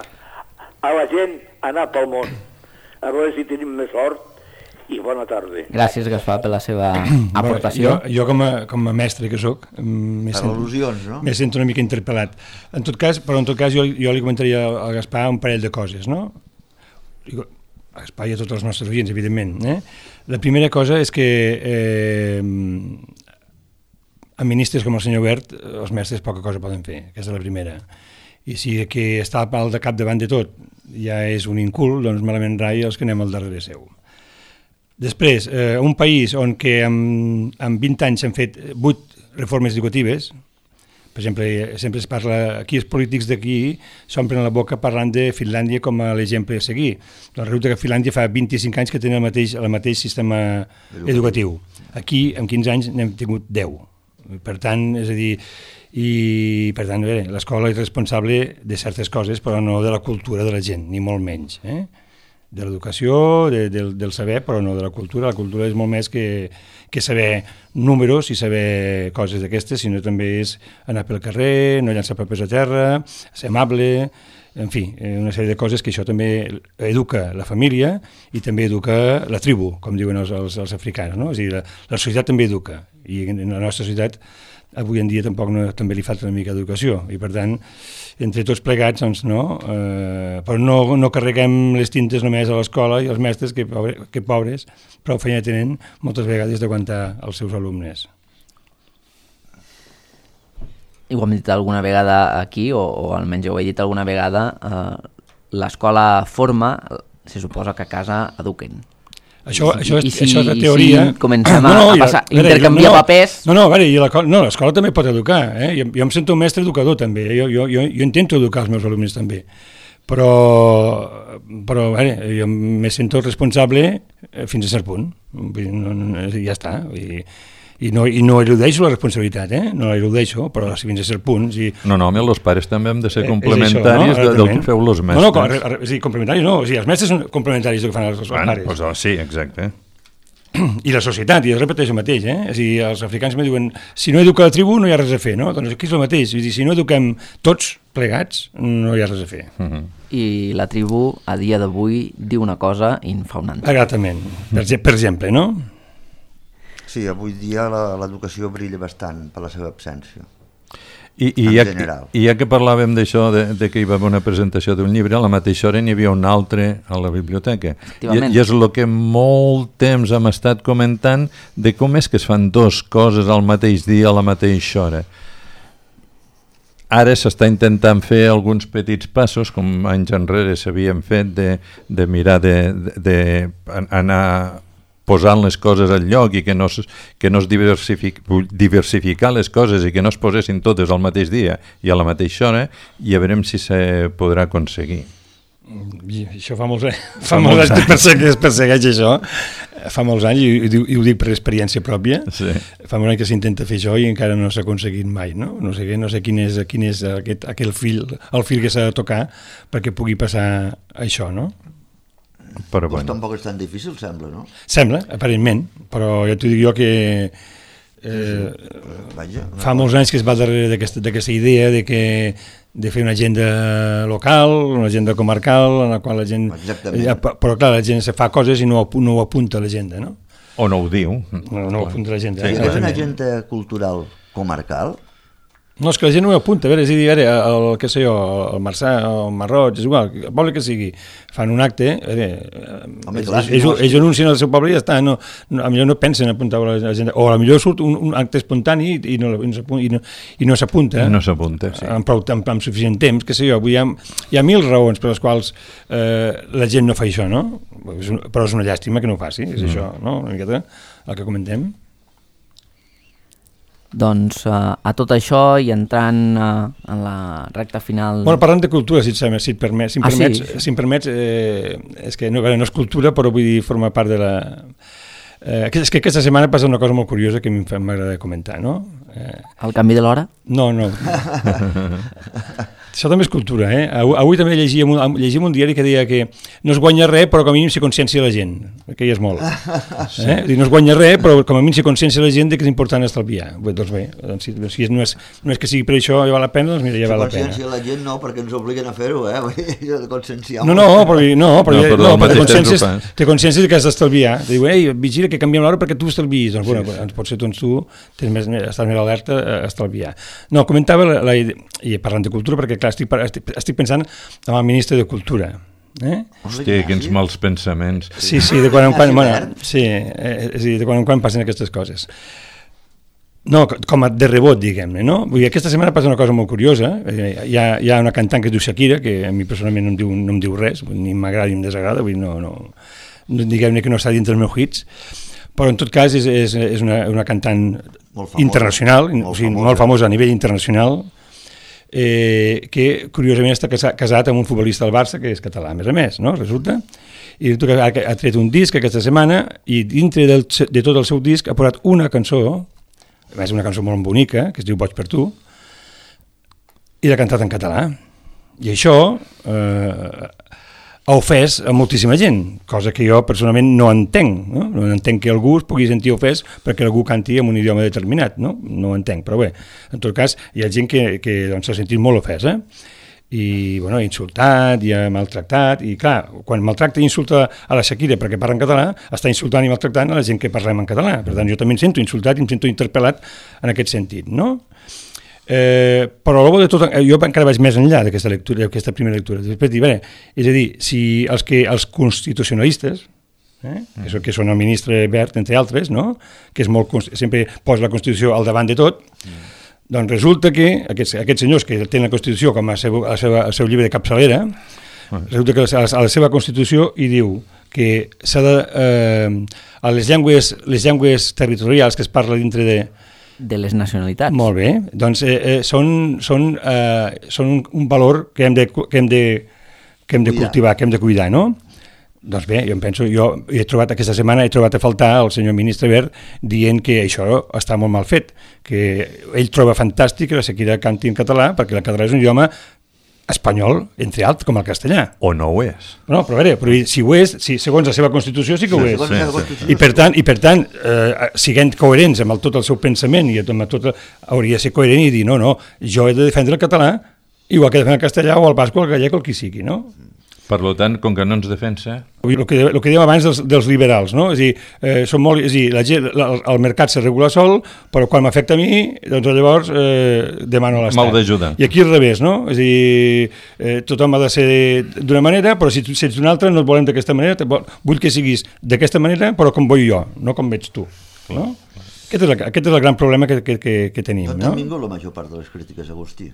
a la gent a anar pel món. A veure si tenim més sort i bona tarda. Gràcies, Gaspar, per la seva aportació. Jo, jo com, a, com a mestre que sóc, me Per sento, al·lusions, no? me sento una mica interpel·lat. En tot cas, però en tot cas jo, jo li comentaria al Gaspar un parell de coses, no? Digo, a Gaspar i a tots els nostres oients, evidentment. Eh? La primera cosa és que eh, amb ministres com el senyor Wert, els mestres poca cosa poden fer, aquesta és la primera. I si que està al de cap davant de tot ja és un incul, doncs malament rai els que anem al darrere seu. Després, eh, un país on que amb, amb vint anys s'han fet vuit reformes educatives, per exemple, sempre es parla, aquí els polítics d'aquí s'omplen la boca parlant de Finlàndia com a l'exemple a seguir. Doncs resulta que Finlàndia fa vint-i-cinc anys que tenen el mateix, el mateix sistema educatiu. Aquí, en quinze anys, n'hem tingut deu. Per tant, és a dir, i per tant, bé, l'escola és responsable de certes coses, però no de la cultura de la gent, ni molt menys, eh? De l'educació, de, del, del saber, però no de la cultura. La cultura és molt més que, que saber números i saber coses d'aquestes, sinó també és anar pel carrer, no llançar papers a terra, ser amable, en fi, una sèrie de coses que això també educa la família i també educa la tribu, com diuen els, els, els africans, no? És a dir, la, la societat també educa, i en la nostra societat avui en dia tampoc no, també li falta una mica d'educació, i per tant, entre tots plegats, doncs no, eh, però no, no carreguem les tintes només a l'escola i els mestres, que, pobre, que pobres, prou feina tenen moltes vegades d'aguantar els seus alumnes. I ho hem dit alguna vegada aquí, o, o almenys ho he dit alguna vegada, eh, l'escola forma, se suposa que a casa eduquen. Això, I, això, i, és, si, això és la i teoria. si comencem no, no, a, a passar, ja, intercanviar no, no, papers... No, no, a veure, i la, no, l'escola també pot educar. Eh? Jo, jo em sento un mestre educador també, jo, jo, jo, jo intento educar els meus alumnes també, però, però a veure, jo me sento responsable fins a cert punt, no, no, ja està, i, i, no, i no eludeixo la responsabilitat, eh? No la eludeixo, però fins a cert punt... Si... No, no, home, els pares també hem de ser Eh, complementaris això, no? de, del que feu els mestres. No, no, com, a, a, sí, complementaris no, o sigui, els mestres són complementaris del que fan els, els bueno, pares. doncs, sí, exacte. I la societat, i es repeteix el mateix, eh? És a dir, els africans me diuen, si no educa la tribu no hi ha res a fer, no? Doncs aquí és el mateix, és dir, si no eduquem tots plegats no hi ha res a fer. Uh -huh. I la tribu a dia d'avui diu una cosa i en fa una altra. Exactament, per, per exemple, no? Sí, avui dia l'educació brilla bastant per la seva absència. I, i, en ja, general. I ja que parlàvem d'això, de, de que hi va haver una presentació d'un llibre, a la mateixa hora n'hi havia un altre a la biblioteca. I, I és el que molt temps hem estat comentant de com és que es fan dues coses al mateix dia, a la mateixa hora. Ara s'està intentant fer alguns petits passos, com anys enrere s'havien fet, de, de mirar de, de, de anar posant les coses al lloc i que no es, que no es diversific, diversificar les coses i que no es posessin totes al mateix dia i a la mateixa hora, i a veurem si se podrà aconseguir. I això fa molts anys, fa molts anys que es persegueix això, fa molts anys, i, i, i ho dic per experiència pròpia, sí. Fa molts anys que s'intenta fer això i encara no s'ha aconseguit mai, no? No sé, no sé quin és, quin és aquest, aquell fil, el fil que s'ha de tocar perquè pugui passar això, no? Però Pues bueno. tampoc és tan difícil, sembla, no? Sembla, aparentment, però jo t'ho dic jo que eh, Vaja, no. fa molts anys que es va darrere d'aquesta idea de que de fer una agenda local, una agenda comarcal, en la qual la gent... Exactament. Ja, però clar, la gent se fa coses i no, no ho apunta a l'agenda, no? O no ho diu. No, no ho apunta a l'agenda. Si Sí, hi hagués una exactament. agenda cultural comarcal, No, és que la gent no ho apunta, a veure, és a dir, a veure, el, què sé jo, el Marçà, el Marroig, és igual, el poble que sigui, fan un acte, a veure, Home, ells, clar, si ells, no, ells anuncien el seu poble i ja està, no, no, a millor no pensen a apuntar a la gent, o a millor surt un, un acte espontani i no, i no, i no, i no s'apunta, No s'apunta, sí. amb, prou, amb, amb suficient temps, què sé jo, avui hi ha, hi ha mil raons per les quals eh, la gent no fa això, no? És un, però és una llàstima que no ho faci, és mm. això, no? Una miqueta el que comentem. Doncs uh, a tot això i entrant uh, en la recta final... Bueno, parlant de cultura, si et, sembla, si et permets, si em Ah, permets, sí? si em permets eh, és que no, no és cultura, però vull dir, forma part de la... Eh, és que aquesta setmana passa una cosa molt curiosa que a mi m'agrada comentar, no? Eh, El canvi de l'hora? no, no. Això també és cultura, eh? Avui, avui també llegíem un, llegíem un diari que deia que no es guanya res, però com a mínim s'hi consciència la gent, que ja és molt. Sí. Eh? No es guanya res, però com a mínim s'hi consciència la gent de que és important estalviar. Bé, doncs bé, doncs si, si no, és, no és que sigui per això ja val la pena, doncs mira, ja val la pena. Consciència la gent no, perquè ens obliguen a fer-ho, eh? De conscienciar. No, no, però, no, però, no, però no, però té consciència, temps té consciència que has d'estalviar. Diu, ei, vigila que canviem l'hora perquè tu estalviïs. Doncs, bueno, sí, sí. Potser doncs, tu tens més, estàs més alerta a estalviar. No, comentava, la, la, i parlant de cultura, perquè clar, estic, estic, estic pensant en el ministre de Cultura. Eh? Hòstia, quins mals pensaments. Sí, sí, de quan en quan, bueno, sí, eh, sí, de quan en quan passen aquestes coses. No, com a de rebot, diguem-ne, no? Vull dir, aquesta setmana passa una cosa molt curiosa. Hi ha, hi ha una cantant que es diu Shakira, que a mi personalment no em diu, no em diu res, ni m'agrada ni em desagrada, vull dir, no, no, diguem-ne que no està dins dels meus hits, però en tot cas és, és, és una, una cantant molt famosa, internacional, molt, o sigui, famosa. molt famosa a nivell internacional, eh, que curiosament està casat amb un futbolista del Barça que és català, a més a més, no? Resulta, i ha, ha tret un disc aquesta setmana i dintre del, de tot el seu disc ha posat una cançó, a més una cançó molt bonica, que es diu Boig per tu, i l'ha cantat en català. I això eh, ha ofès a moltíssima gent, cosa que jo personalment no entenc, no? No entenc que algú es pugui sentir ofès perquè algú canti en un idioma determinat, no? No ho entenc, però bé, en tot cas hi ha gent que, que doncs, s'ha sentit molt ofesa, i bueno, ha insultat, i ha maltractat, i clar, quan maltracta i insulta a la Shakira perquè parla en català, està insultant i maltractant a la gent que parlem en català, per tant jo també em sento insultat i em sento interpel·lat en aquest sentit, no? Eh, però de tot, jo encara vaig més enllà d'aquesta lectura, d'aquesta primera lectura. Després dir, bé, és a dir, si els, que, els constitucionalistes, eh, que, són, que són el ministre Wert, entre altres, no? Que és molt, sempre posa la Constitució al davant de tot, mm. doncs resulta que aquests, aquests senyors que tenen la Constitució com a seu, a seva, el seu llibre de capçalera, mm. resulta que a la seva Constitució hi diu que s'ha de, eh, a les llengües, les llengües territorials que es parla dintre de de les nacionalitats. Molt bé, doncs eh, eh, són, són, eh, són un, un valor que hem de, que hem de, que hem de cultivar, que hem de cuidar, no? Doncs bé, jo em penso, jo he trobat aquesta setmana, he trobat a faltar el senyor ministre Wert dient que això està molt mal fet, que ell troba fantàstic que la Shakira canti en català, perquè el català és un idioma espanyol, entre altres, com el castellà. O no ho és. No, però a veure, però si ho és, si, segons la seva Constitució sí que ho sí, és. Sí, sí. I per tant, i per tant eh, siguent coherents amb el, tot el seu pensament, i amb tot, hauria de ser coherent i dir, no, no, jo he de defendre el català, igual que defendre el castellà o el basc o el gallec o el que sigui, no? Per tant, com que no ens defensa... El que, el que dèiem abans dels, dels liberals, no? És a dir, eh, són molt, és a dir la gent, el, el mercat se regula sol, però quan m'afecta a mi, doncs llavors eh, demano a l'Estat. M'heu d'ajudar. I aquí al revés, no? És a dir, eh, tothom ha de ser d'una manera, però si, si ets d'una altra no et volem d'aquesta manera, vull que siguis d'aquesta manera, però com vull jo, no com veig tu. No? Aquest, és el, aquest és el gran problema que, que, que, que tenim. D'on no? han vingut la major part de les crítiques, Agustí?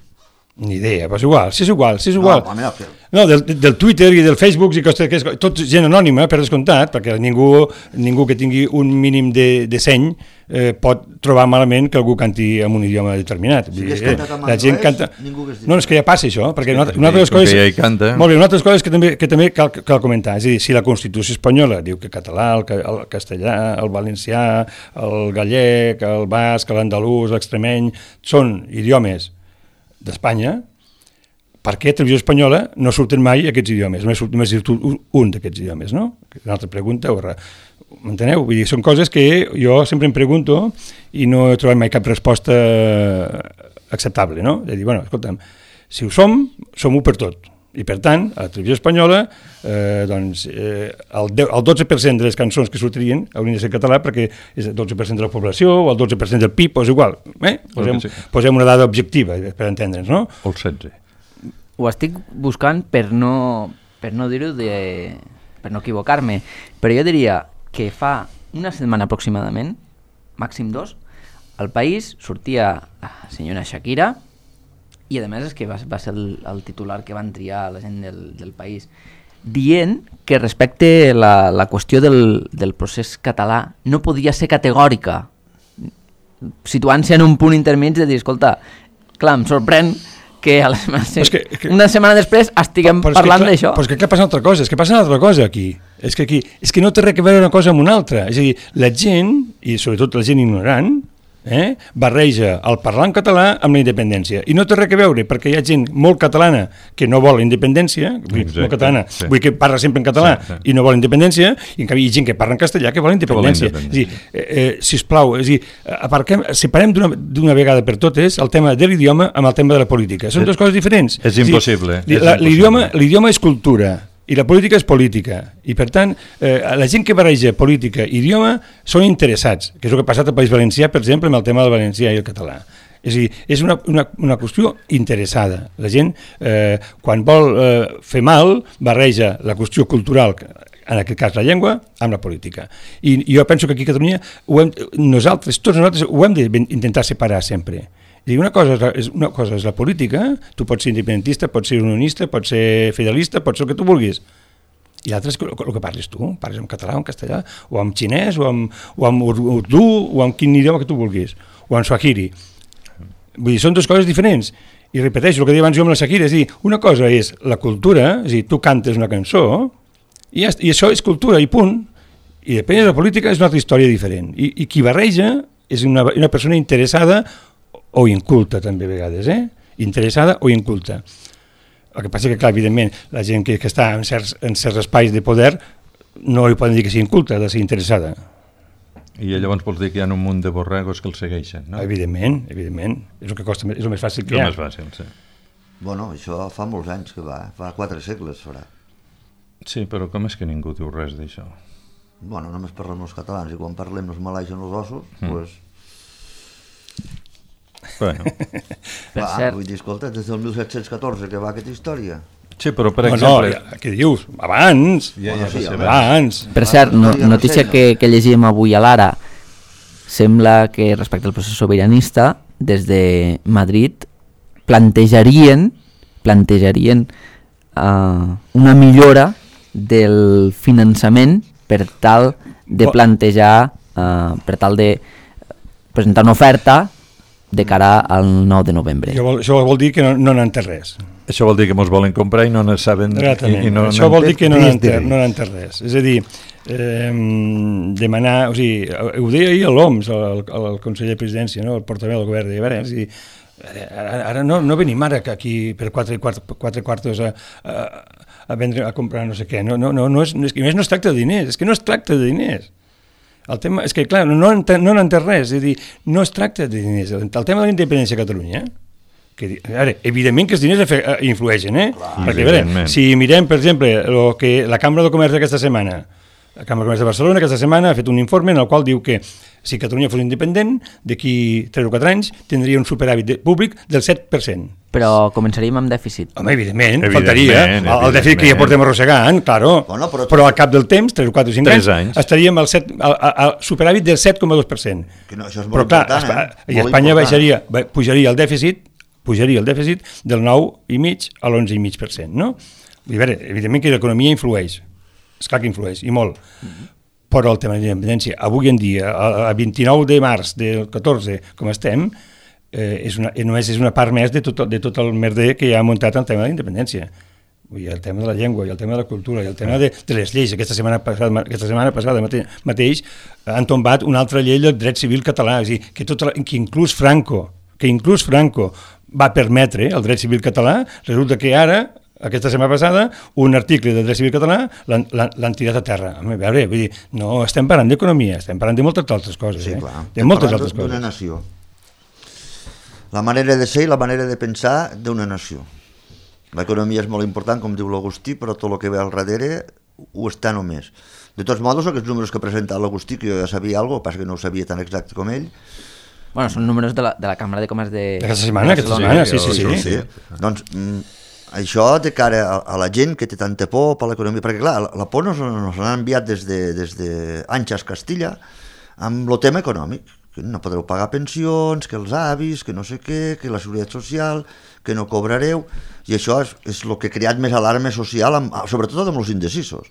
Ni idea, però és igual, si és igual, si és igual. No, mira, que... no del, del Twitter i del Facebook, i que, que és tot gent anònima, per descomptat, perquè ningú, ningú que tingui un mínim de, de seny eh, pot trobar malament que algú canti en un idioma determinat. Si eh, la gent canta... Ningú que es no, és que ja passa això, perquè una, una altra de les coses... Ja hi canta. Molt bé, una altra de les coses que també, que també cal, cal comentar, és a dir, si la Constitució espanyola diu que català, el, el castellà, el valencià, el gallec, el basc, l'andalús, l'extremeny, són idiomes d'Espanya, per què a Televisió Espanyola no surten mai aquests idiomes? Només surt, només surt un d'aquests idiomes, no? Una altra pregunta, m'enteneu? Vull dir, són coses que jo sempre em pregunto i no he trobat mai cap resposta acceptable, no? De dir, bueno, escolta'm, si ho som, som-ho per tot. I per tant, a la Televisió Espanyola, eh, doncs, eh, el, deu, el dotze per cent de les cançons que sortirien haurien de ser català perquè és el dotze per cent de la població o el dotze per cent del P I B, o és igual. Eh? Posem, sí. posem una dada objectiva per entendre'ns, no? O el setze. Ho estic buscant per no, per no dir-ho, de, per no equivocar-me, però jo diria que fa una setmana aproximadament, màxim dos, al País sortia la senyora Shakira, i a més és que va, va ser el, el titular que van triar la gent del, del País, dient que respecte la, la qüestió del, del procés català no podia ser categòrica, situant-se en un punt intermig de dir, escolta, clar, em sorprèn que, a la setmana, que, que una setmana després estiguem però, però parlant d'això. Però és que clar, passa una altra cosa, és que passa una altra cosa aquí. És que aquí és que no té res a veure una cosa amb una altra. És a dir, la gent, i sobretot la gent ignorant, eh, barreja el parlar en català amb la independència. I no té res a veure, perquè hi ha gent molt catalana que no vol la independència, Exacte, molt catalana, sí. vull que parla sempre en català sí, sí. i no vol independència, i en canvi hi ha gent que parla en castellà que vol independència. Que vol independència. És a dir, eh, eh, sisplau, és a dir, aparquem, separem d'una vegada per totes el tema de l'idioma amb el tema de la política. Són dues coses diferents. És impossible. L'idioma és cultura, i la política és política, i per tant eh, la gent que barreja política i idioma són interessats, que és el que ha passat al País Valencià, per exemple, amb el tema del valencià i el català. És a dir, és una, una, una qüestió interessada. La gent, eh, quan vol eh, fer mal, barreja la qüestió cultural, en aquest cas la llengua, amb la política. I, i jo penso que aquí a Catalunya ho hem, nosaltres, tots nosaltres ho hem d'intentar separar sempre. I una cosa, és la, és una cosa és la política, tu pots ser independentista, pots ser unionista, pots ser fidelista, pots ser el que tu vulguis. I l'altre és el, el que parles tu, parles en català o en castellà, o en xinès, o en, o en urdú, o en quin idioma que tu vulguis, o en swahili. Vull dir, són dues coses diferents. I repeteixo el que deia abans jo amb la Shakira, és dir, una cosa és la cultura, és dir, tu cantes una cançó, i, ja, i això és cultura, i punt. I depèn de la política, és una altra història diferent. I, i qui barreja és una, una persona interessada o inculta també a vegades, eh? Interessada o inculta. El que passa que, clar, evidentment, la gent que, que està en certs, en certs espais de poder no li poden dir que sigui inculta, ha de ser interessada. I llavors vols dir que hi ha un munt de borregos que el segueixen, no? Evidentment, evidentment. És el que costa, és el més fàcil que hi ha. És el més fàcil, sí. Bueno, això fa molts anys que va, fa quatre segles farà. Sí, però com és que ningú diu res d'això? Bueno, només parlem els catalans, i quan parlem els malaixen els ossos, doncs... Mm. Pues, bueno. Va, vull dir, escolta, des del mil set-cents catorze que va aquesta història. Sí, però per no, exemple... No, ja, què dius? Abans! Ja, ja, bueno, sí, abans. abans. Per cert, no, notícia que, que llegíem avui a l'Ara, sembla que respecte al procés sobiranista, des de Madrid plantejarien, plantejarien uh, una millora del finançament per tal de plantejar, uh, per tal de presentar una oferta de cara al nou de novembre. Això vol, això vol dir que no, no n'han entès res. Això vol dir que mos volen comprar i no ne saben... I, i no, això vol dir que no n'han entès, no entès res. És a dir, eh, demanar... O sigui, ho deia ahir l'Oms, el, el, el conseller de presidència, no? El portaveu del govern, deia, a veure, és a dir, ara, ara no, no venim ara aquí per quatre, quatre, quatre quartos a, a, a vendre, a comprar no sé què. No, no, no, no, és, no, és, no es tracta de diners, és que no es tracta de diners. El tema és que, clar, no n'entén no res, és a dir, no es tracta de diners. El tema de la independència a Catalunya, que, ara, evidentment que els diners influeixen, eh? Clar, perquè, a veure, si mirem, per exemple, lo que la Cambra de Comerç d'aquesta setmana, la Cambra de Comerç de Barcelona aquesta setmana ha fet un informe en el qual diu que si Catalunya fos independent, d'aquí tres o quatre anys tindria un superàvit públic del set per cent. Però començaríem amb dèficit. Home, evidentment, evidentment faltaria. El, el dèficit que ja portem arrossegant, claro. Bueno, però, però al cap del temps, tres o quatre o cinc anys, anys, estaríem al, set, al, al superàvit del set coma dos per cent. Que no, això és molt però clar, important, eh? I Espanya baixaria, pujaria el dèficit, pujaria el dèficit del nou i mig a l'onze i mig per cent, no? I a veure, evidentment que l'economia influeix, esclar que influeix, i molt. Mm-hmm. Però el tema de la independència, avui en dia, a vint-i-nou de març del catorze, com estem, eh, és una, només és una part més de tot, de tot el merder que hi ha muntat el tema de la independència. Vull dir, el tema de la llengua, i el tema de la cultura, i el tema de, de les lleis. Aquesta setmana passada, aquesta setmana passada mate, mateix han tombat una altra llei del dret civil català, és a dir, que, tot, que inclús Franco, que inclús Franco va permetre el dret civil català, resulta que ara, aquesta setmana passada, un article del dret civil català l'han tirat a terra. A veure, vull dir, no estem parlant d'economia, estem parlant de moltes altres coses. Sí, eh? clar. De moltes altres coses. D'una nació. La manera de ser i la manera de pensar d'una nació. L'economia és molt important, com diu l'Agustí, però tot el que ve al darrere ho està només. De tots modos, aquests números que ha presentat l'Agustí, que jo ja sabia alguna cosa, passa que no ho sabia tan exacte com ell. Bueno, són números de la, de la Cambra de Comerç de... Aquesta setmana, aquesta setmana, sí, sí, sí. sí. sí. Doncs mm, això de cara a, a la gent que té tanta por per l'economia, perquè clar, la, la por nos, nos l'han enviat des de, des de Anxas Castilla amb el tema econòmic, que no podreu pagar pensions, que els avis, que no sé què, que la seguretat social, que no cobrareu, i això és, és el que ha creat més alarma social, amb, sobretot amb els indecisos.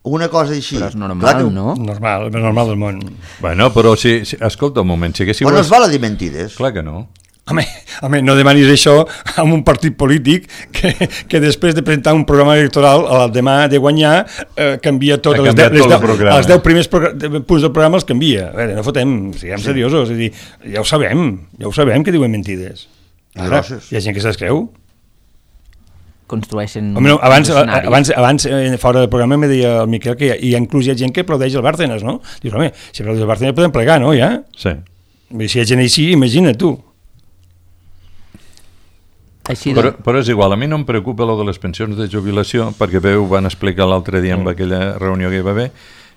Una cosa així... Però és normal, que... no? Normal, el normal del món. Bueno, però si, si escolta un moment, si haguéssiu... Però no es val a dir mentides. Clar que no. Home, home, no demanis això amb un partit polític que, que després de presentar un programa electoral el demà de guanyar eh, canvia tot, les deu, les, deu, els deu primers punts del programa els canvia. A veure, no fotem, siguem sí. seriosos, és a dir, ja ho sabem, ja ho sabem que diuen mentides. Ara, hi ha gent que se'ls creu. Construeixen Home, no, abans, abans, abans eh, fora del programa me deia el Miquel que hi ha, hi ha inclús hi ha gent que aplaudeix el Bárcenas, no? Dius, home, si aplaudeix el Bárcenas podem plegar, no, ja? Sí. Si hi ha gent així, imagina't tu. Així però, però és igual, a mi no em preocupa lo de les pensions de jubilació, perquè veu, van explicar l'altre dia en mm. aquella reunió que hi va haver,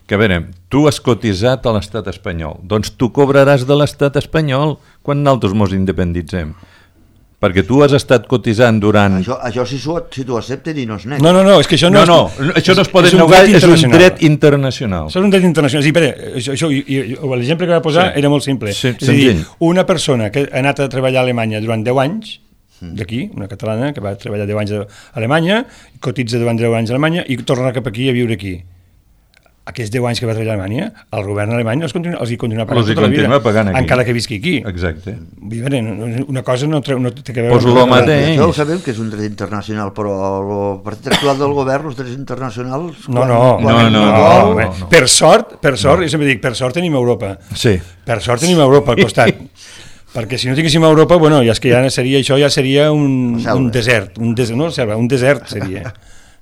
que a veure, tu has cotitzat a l'estat espanyol, doncs tu cobraràs de l'estat espanyol quan nosaltres mos independitzem. Perquè tu has estat cotitzant durant... Això, això si, si t'ho accepten i no es nega. No, no, no, és que això no... No, no, no això no es pot negar, és un dret internacional. Això és un dret internacional. Sí, pera, això, això, l'exemple que va posar sí. era molt simple. Sí, és a dir, una persona que ha anat a treballar a Alemanya durant deu anys, d'aquí, una catalana que va treballar deu anys a Alemanya, cotitza durant deu anys a Alemanya i torna cap aquí a viure aquí. Aquests deu anys que va treballar a Alemanya, el govern alemany els, continua, els hi continua pagant els tota la vida, pagant aquí. Encara que visqui aquí. Exacte. Una cosa no, no té que veure... Pues lo mateix. Això ho sabem que és un dret internacional, però el partit actual del govern, els drets internacionals... No, no, quan, no, no, no, no, no. Per sort, per sort, no. jo sempre dic, per sort tenim Europa. Sí. Per sort tenim Europa al costat. Perquè si no tinguéssim Europa, bueno, ja és que ja seria, això ja seria un, un desert, un desert, no, selva, un desert seria,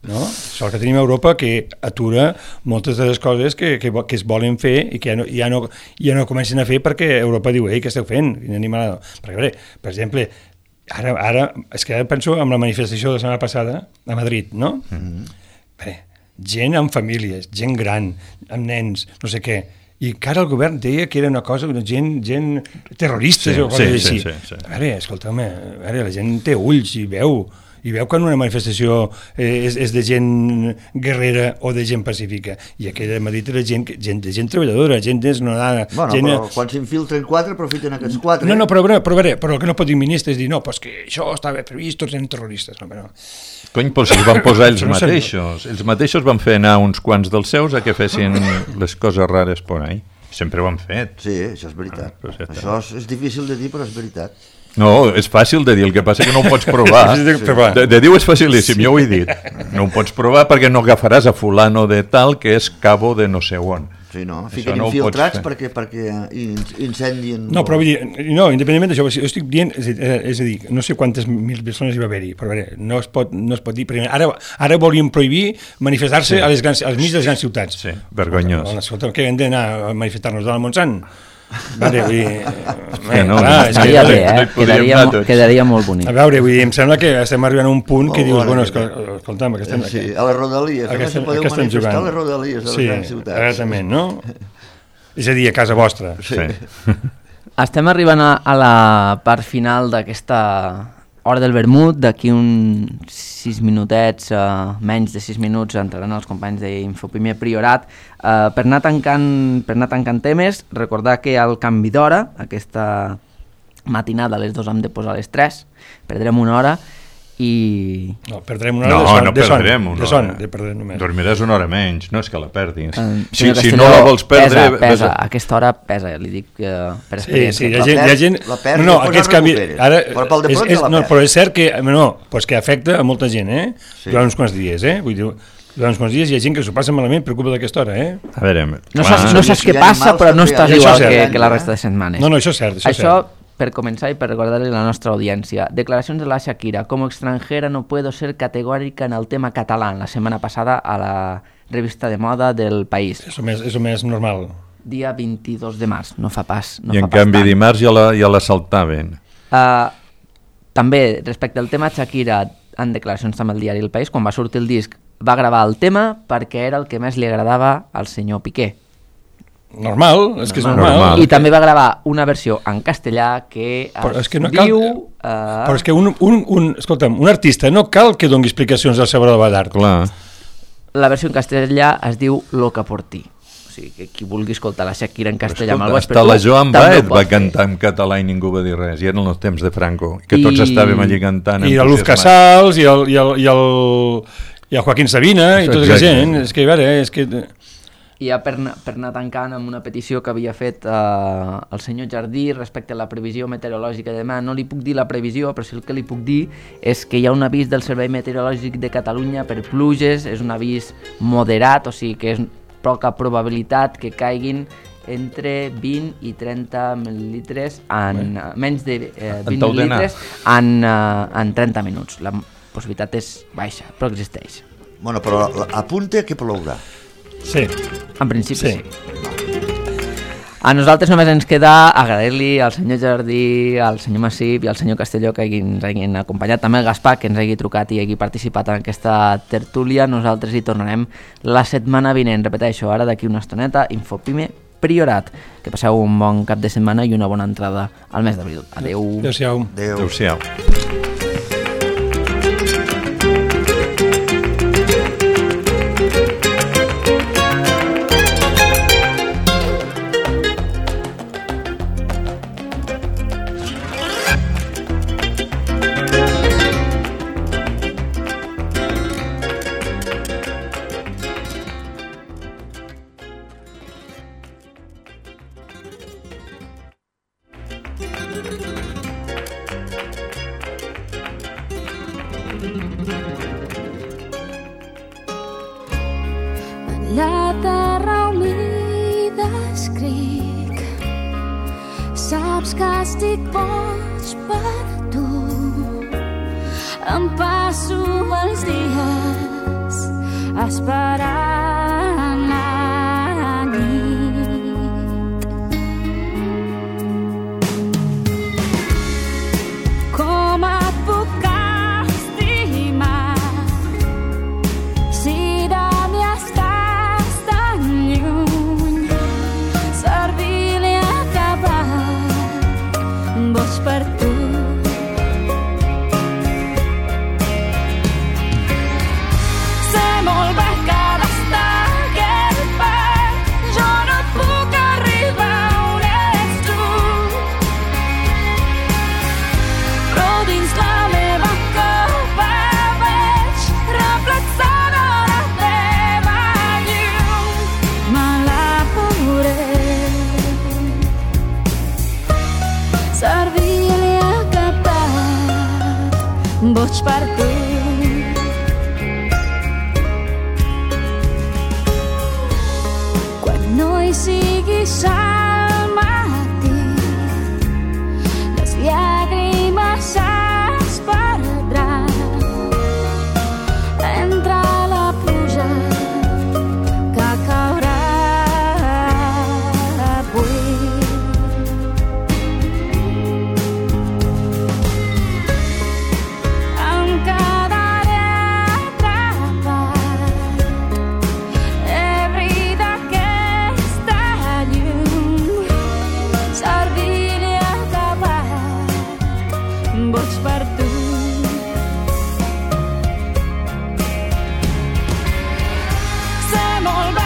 no? Sort que tenim Europa que atura moltes de les coses que, que, que es volen fer i que ja no, ja no, ja no comencen a fer perquè Europa diu, ei, què esteu fent? Quina animalada. Perquè, a veure, per exemple, ara, ara, és que ara penso en la manifestació de la setmana passada a Madrid, no? Mm-hmm. Bé, gent amb famílies, gent gran, amb nens, no sé què, i encara el govern deia que era una cosa, gent, gent terrorista, sí, o coses sí, així. Sí, sí, sí. A veure, escolta'm, a veure, la gent té ulls i veu, i veu quan una manifestació eh, és, és de gent guerrera o de gent pacífica. I aquella Madrid era gent, gent, de gent treballadora, gent desnodada. Bueno, gent... però quan s'infiltren quatre, aprofiten aquests quatre. No, no, però, però, però, però el que no pot dir ministre és dir, no, pues que això estava previst, tots eren terroristes. No, però... Cony, però si els van posar ells mateixos. Ells mateixos van fer anar uns quants dels seus a que fessin les coses rares por ahí. Sempre ho han fet. Sí, això és veritat. Ah, ja això és, és difícil de dir, però és veritat. No, és fàcil de dir, el que passa que no ho pots provar. Sí. De, de dir és facilíssim, sí. Jo ho he dit. No ho pots provar perquè no agafaràs a fulano de tal que és cabo de no sé on. Sí, no? Fiquen no infiltrats perquè, perquè incendien... No, però vull dir, no, independentment d'això, jo estic dient, és a, és a dir, no sé quantes mil persones hi va haver-hi, però a veure, no es pot, no es pot dir, perquè ara, ara volíem prohibir manifestar-se sí. a les grans, als mig de les grans ciutats. Sí, vergonyós. Escolta, escolta, que hem d'anar a manifestar-nos de la Montsant? Vale, vull dir... Eh, no, clar, no, estaria que, bé, eh? no quedaria, quedaria molt bonic. A veure, vull dir, em sembla que estem arribant a un punt que oh, dius, bueno, escolta, escolta'm, que estem... Sí, a les rodalies, que estem, si podeu manifestar jugant. a les rodalies de les sí, grans ciutats. Sí, exactament, no? És a dir, a casa vostra. Sí. sí. Estem arribant a, a la part final d'aquesta hora del vermut. D'aquí uns sis minutets, uh, menys de sis minuts, entraran els companys d'Infoprimer Priorat. Uh, per, anar tancant, per anar tancant temes, recordar que al canvi d'hora, aquesta matinada a les dos hem de posar a les tres, perdrem una hora i... No, perdrem una hora no, de son. No, de son, perdrem una de son, hora. de perdrem només. Dormiràs una hora menys, no és que la perdis. Uh, si, si Castelló, no la vols perdre... Pesa, pesa. A aquesta hora pesa, li dic uh, per experiència. Sí, sí, hi ha gent... Hi ha gent... La perd, no, no, aquests canvis... Ara, però pel de és, és, no, però és cert que... No, pues que afecta a molta gent, eh? Sí. Durant uns quants dies, eh? Vull dir, durant uns quants dies hi ha gent que s'ho passa malament per culpa d'aquesta hora, eh? A veure... No saps, no saps què passa, però no estàs igual que, que la resta de setmanes. No, no, això és cert, això, això és cert. Per començar y para recordarle a la nuestra audiencia, declaraciones de la Shakira: como extranjera no puedo ser categórica en el tema catalán, la semana pasada a la revista de moda del País. Eso més, eso més normal. Dia vint-i-dos de març, no fa pas. No I fa en pas canvi tant. dimarts ja la, ja la saltaven. Uh, també, respecte al tema Shakira, en declaracions també al diari El País, quan va sortir el disc, va gravar el tema perquè era el que més li agradava al senyor Piqué. Normal, és que és normal. normal. I també va gravar una versió en castellà que es, és que no diu... Cal... Uh... Però és que un, un, un, escolta'm, un artista no cal que doni explicacions al seu obra d'art. Clar. La versió en castellà es diu Loca por ti. O sigui, que qui vulgui escoltar la Shakira en castellà... Escolta, hasta la Joan Baez va cantar en català i ningú va dir res, i eren els temps de Franco, que tots I... estàvem allí cantant. I la Luz Casals, i el, i el, i el, i el Joaquín Sabina, i tota aquesta gent. És que, a veure, és que... I ja per, per anar tancant amb una petició que havia fet eh, el senyor Jardí respecte a la previsió meteorològica de demà. No li puc dir la previsió, però sí el que li puc dir és que hi ha un avís del Servei Meteorològic de Catalunya per pluges, és un avís moderat, o sigui que és poca probabilitat que caiguin entre vint i trenta mil·lilitres, en uh, menys de eh, vint mil·lilitres en, uh, en trenta minuts. La possibilitat és baixa, però existeix. Bueno, però apunta que plourà. Sí. En principi sí. sí. A nosaltres només ens queda agrair-li al senyor Jardí, al senyor Massip i al senyor Castelló que ens hagin acompanyat, també el Gaspar que ens hagi trucat i hagi participat en aquesta tertúlia. Nosaltres hi tornarem la setmana vinent. Repeteixo, ara d'aquí una estoneta, Infopime Priorat. Que passeu un bon cap de setmana i una bona entrada al mes d'abril. Adeu. Adéu-siau. Adéu. Adéu-siau. La terra humida escric, saps que estic boig per tu. Em passo els dies esperant la nit. Com et puc estimar si de mi estàs tan lluny? Servir-li a acabar boig per tu. Boig per tu. Quan no hi siguis al matí, les llàgrimes es perdran entre la pluja que caurà avui. Boig per tu. Sé molt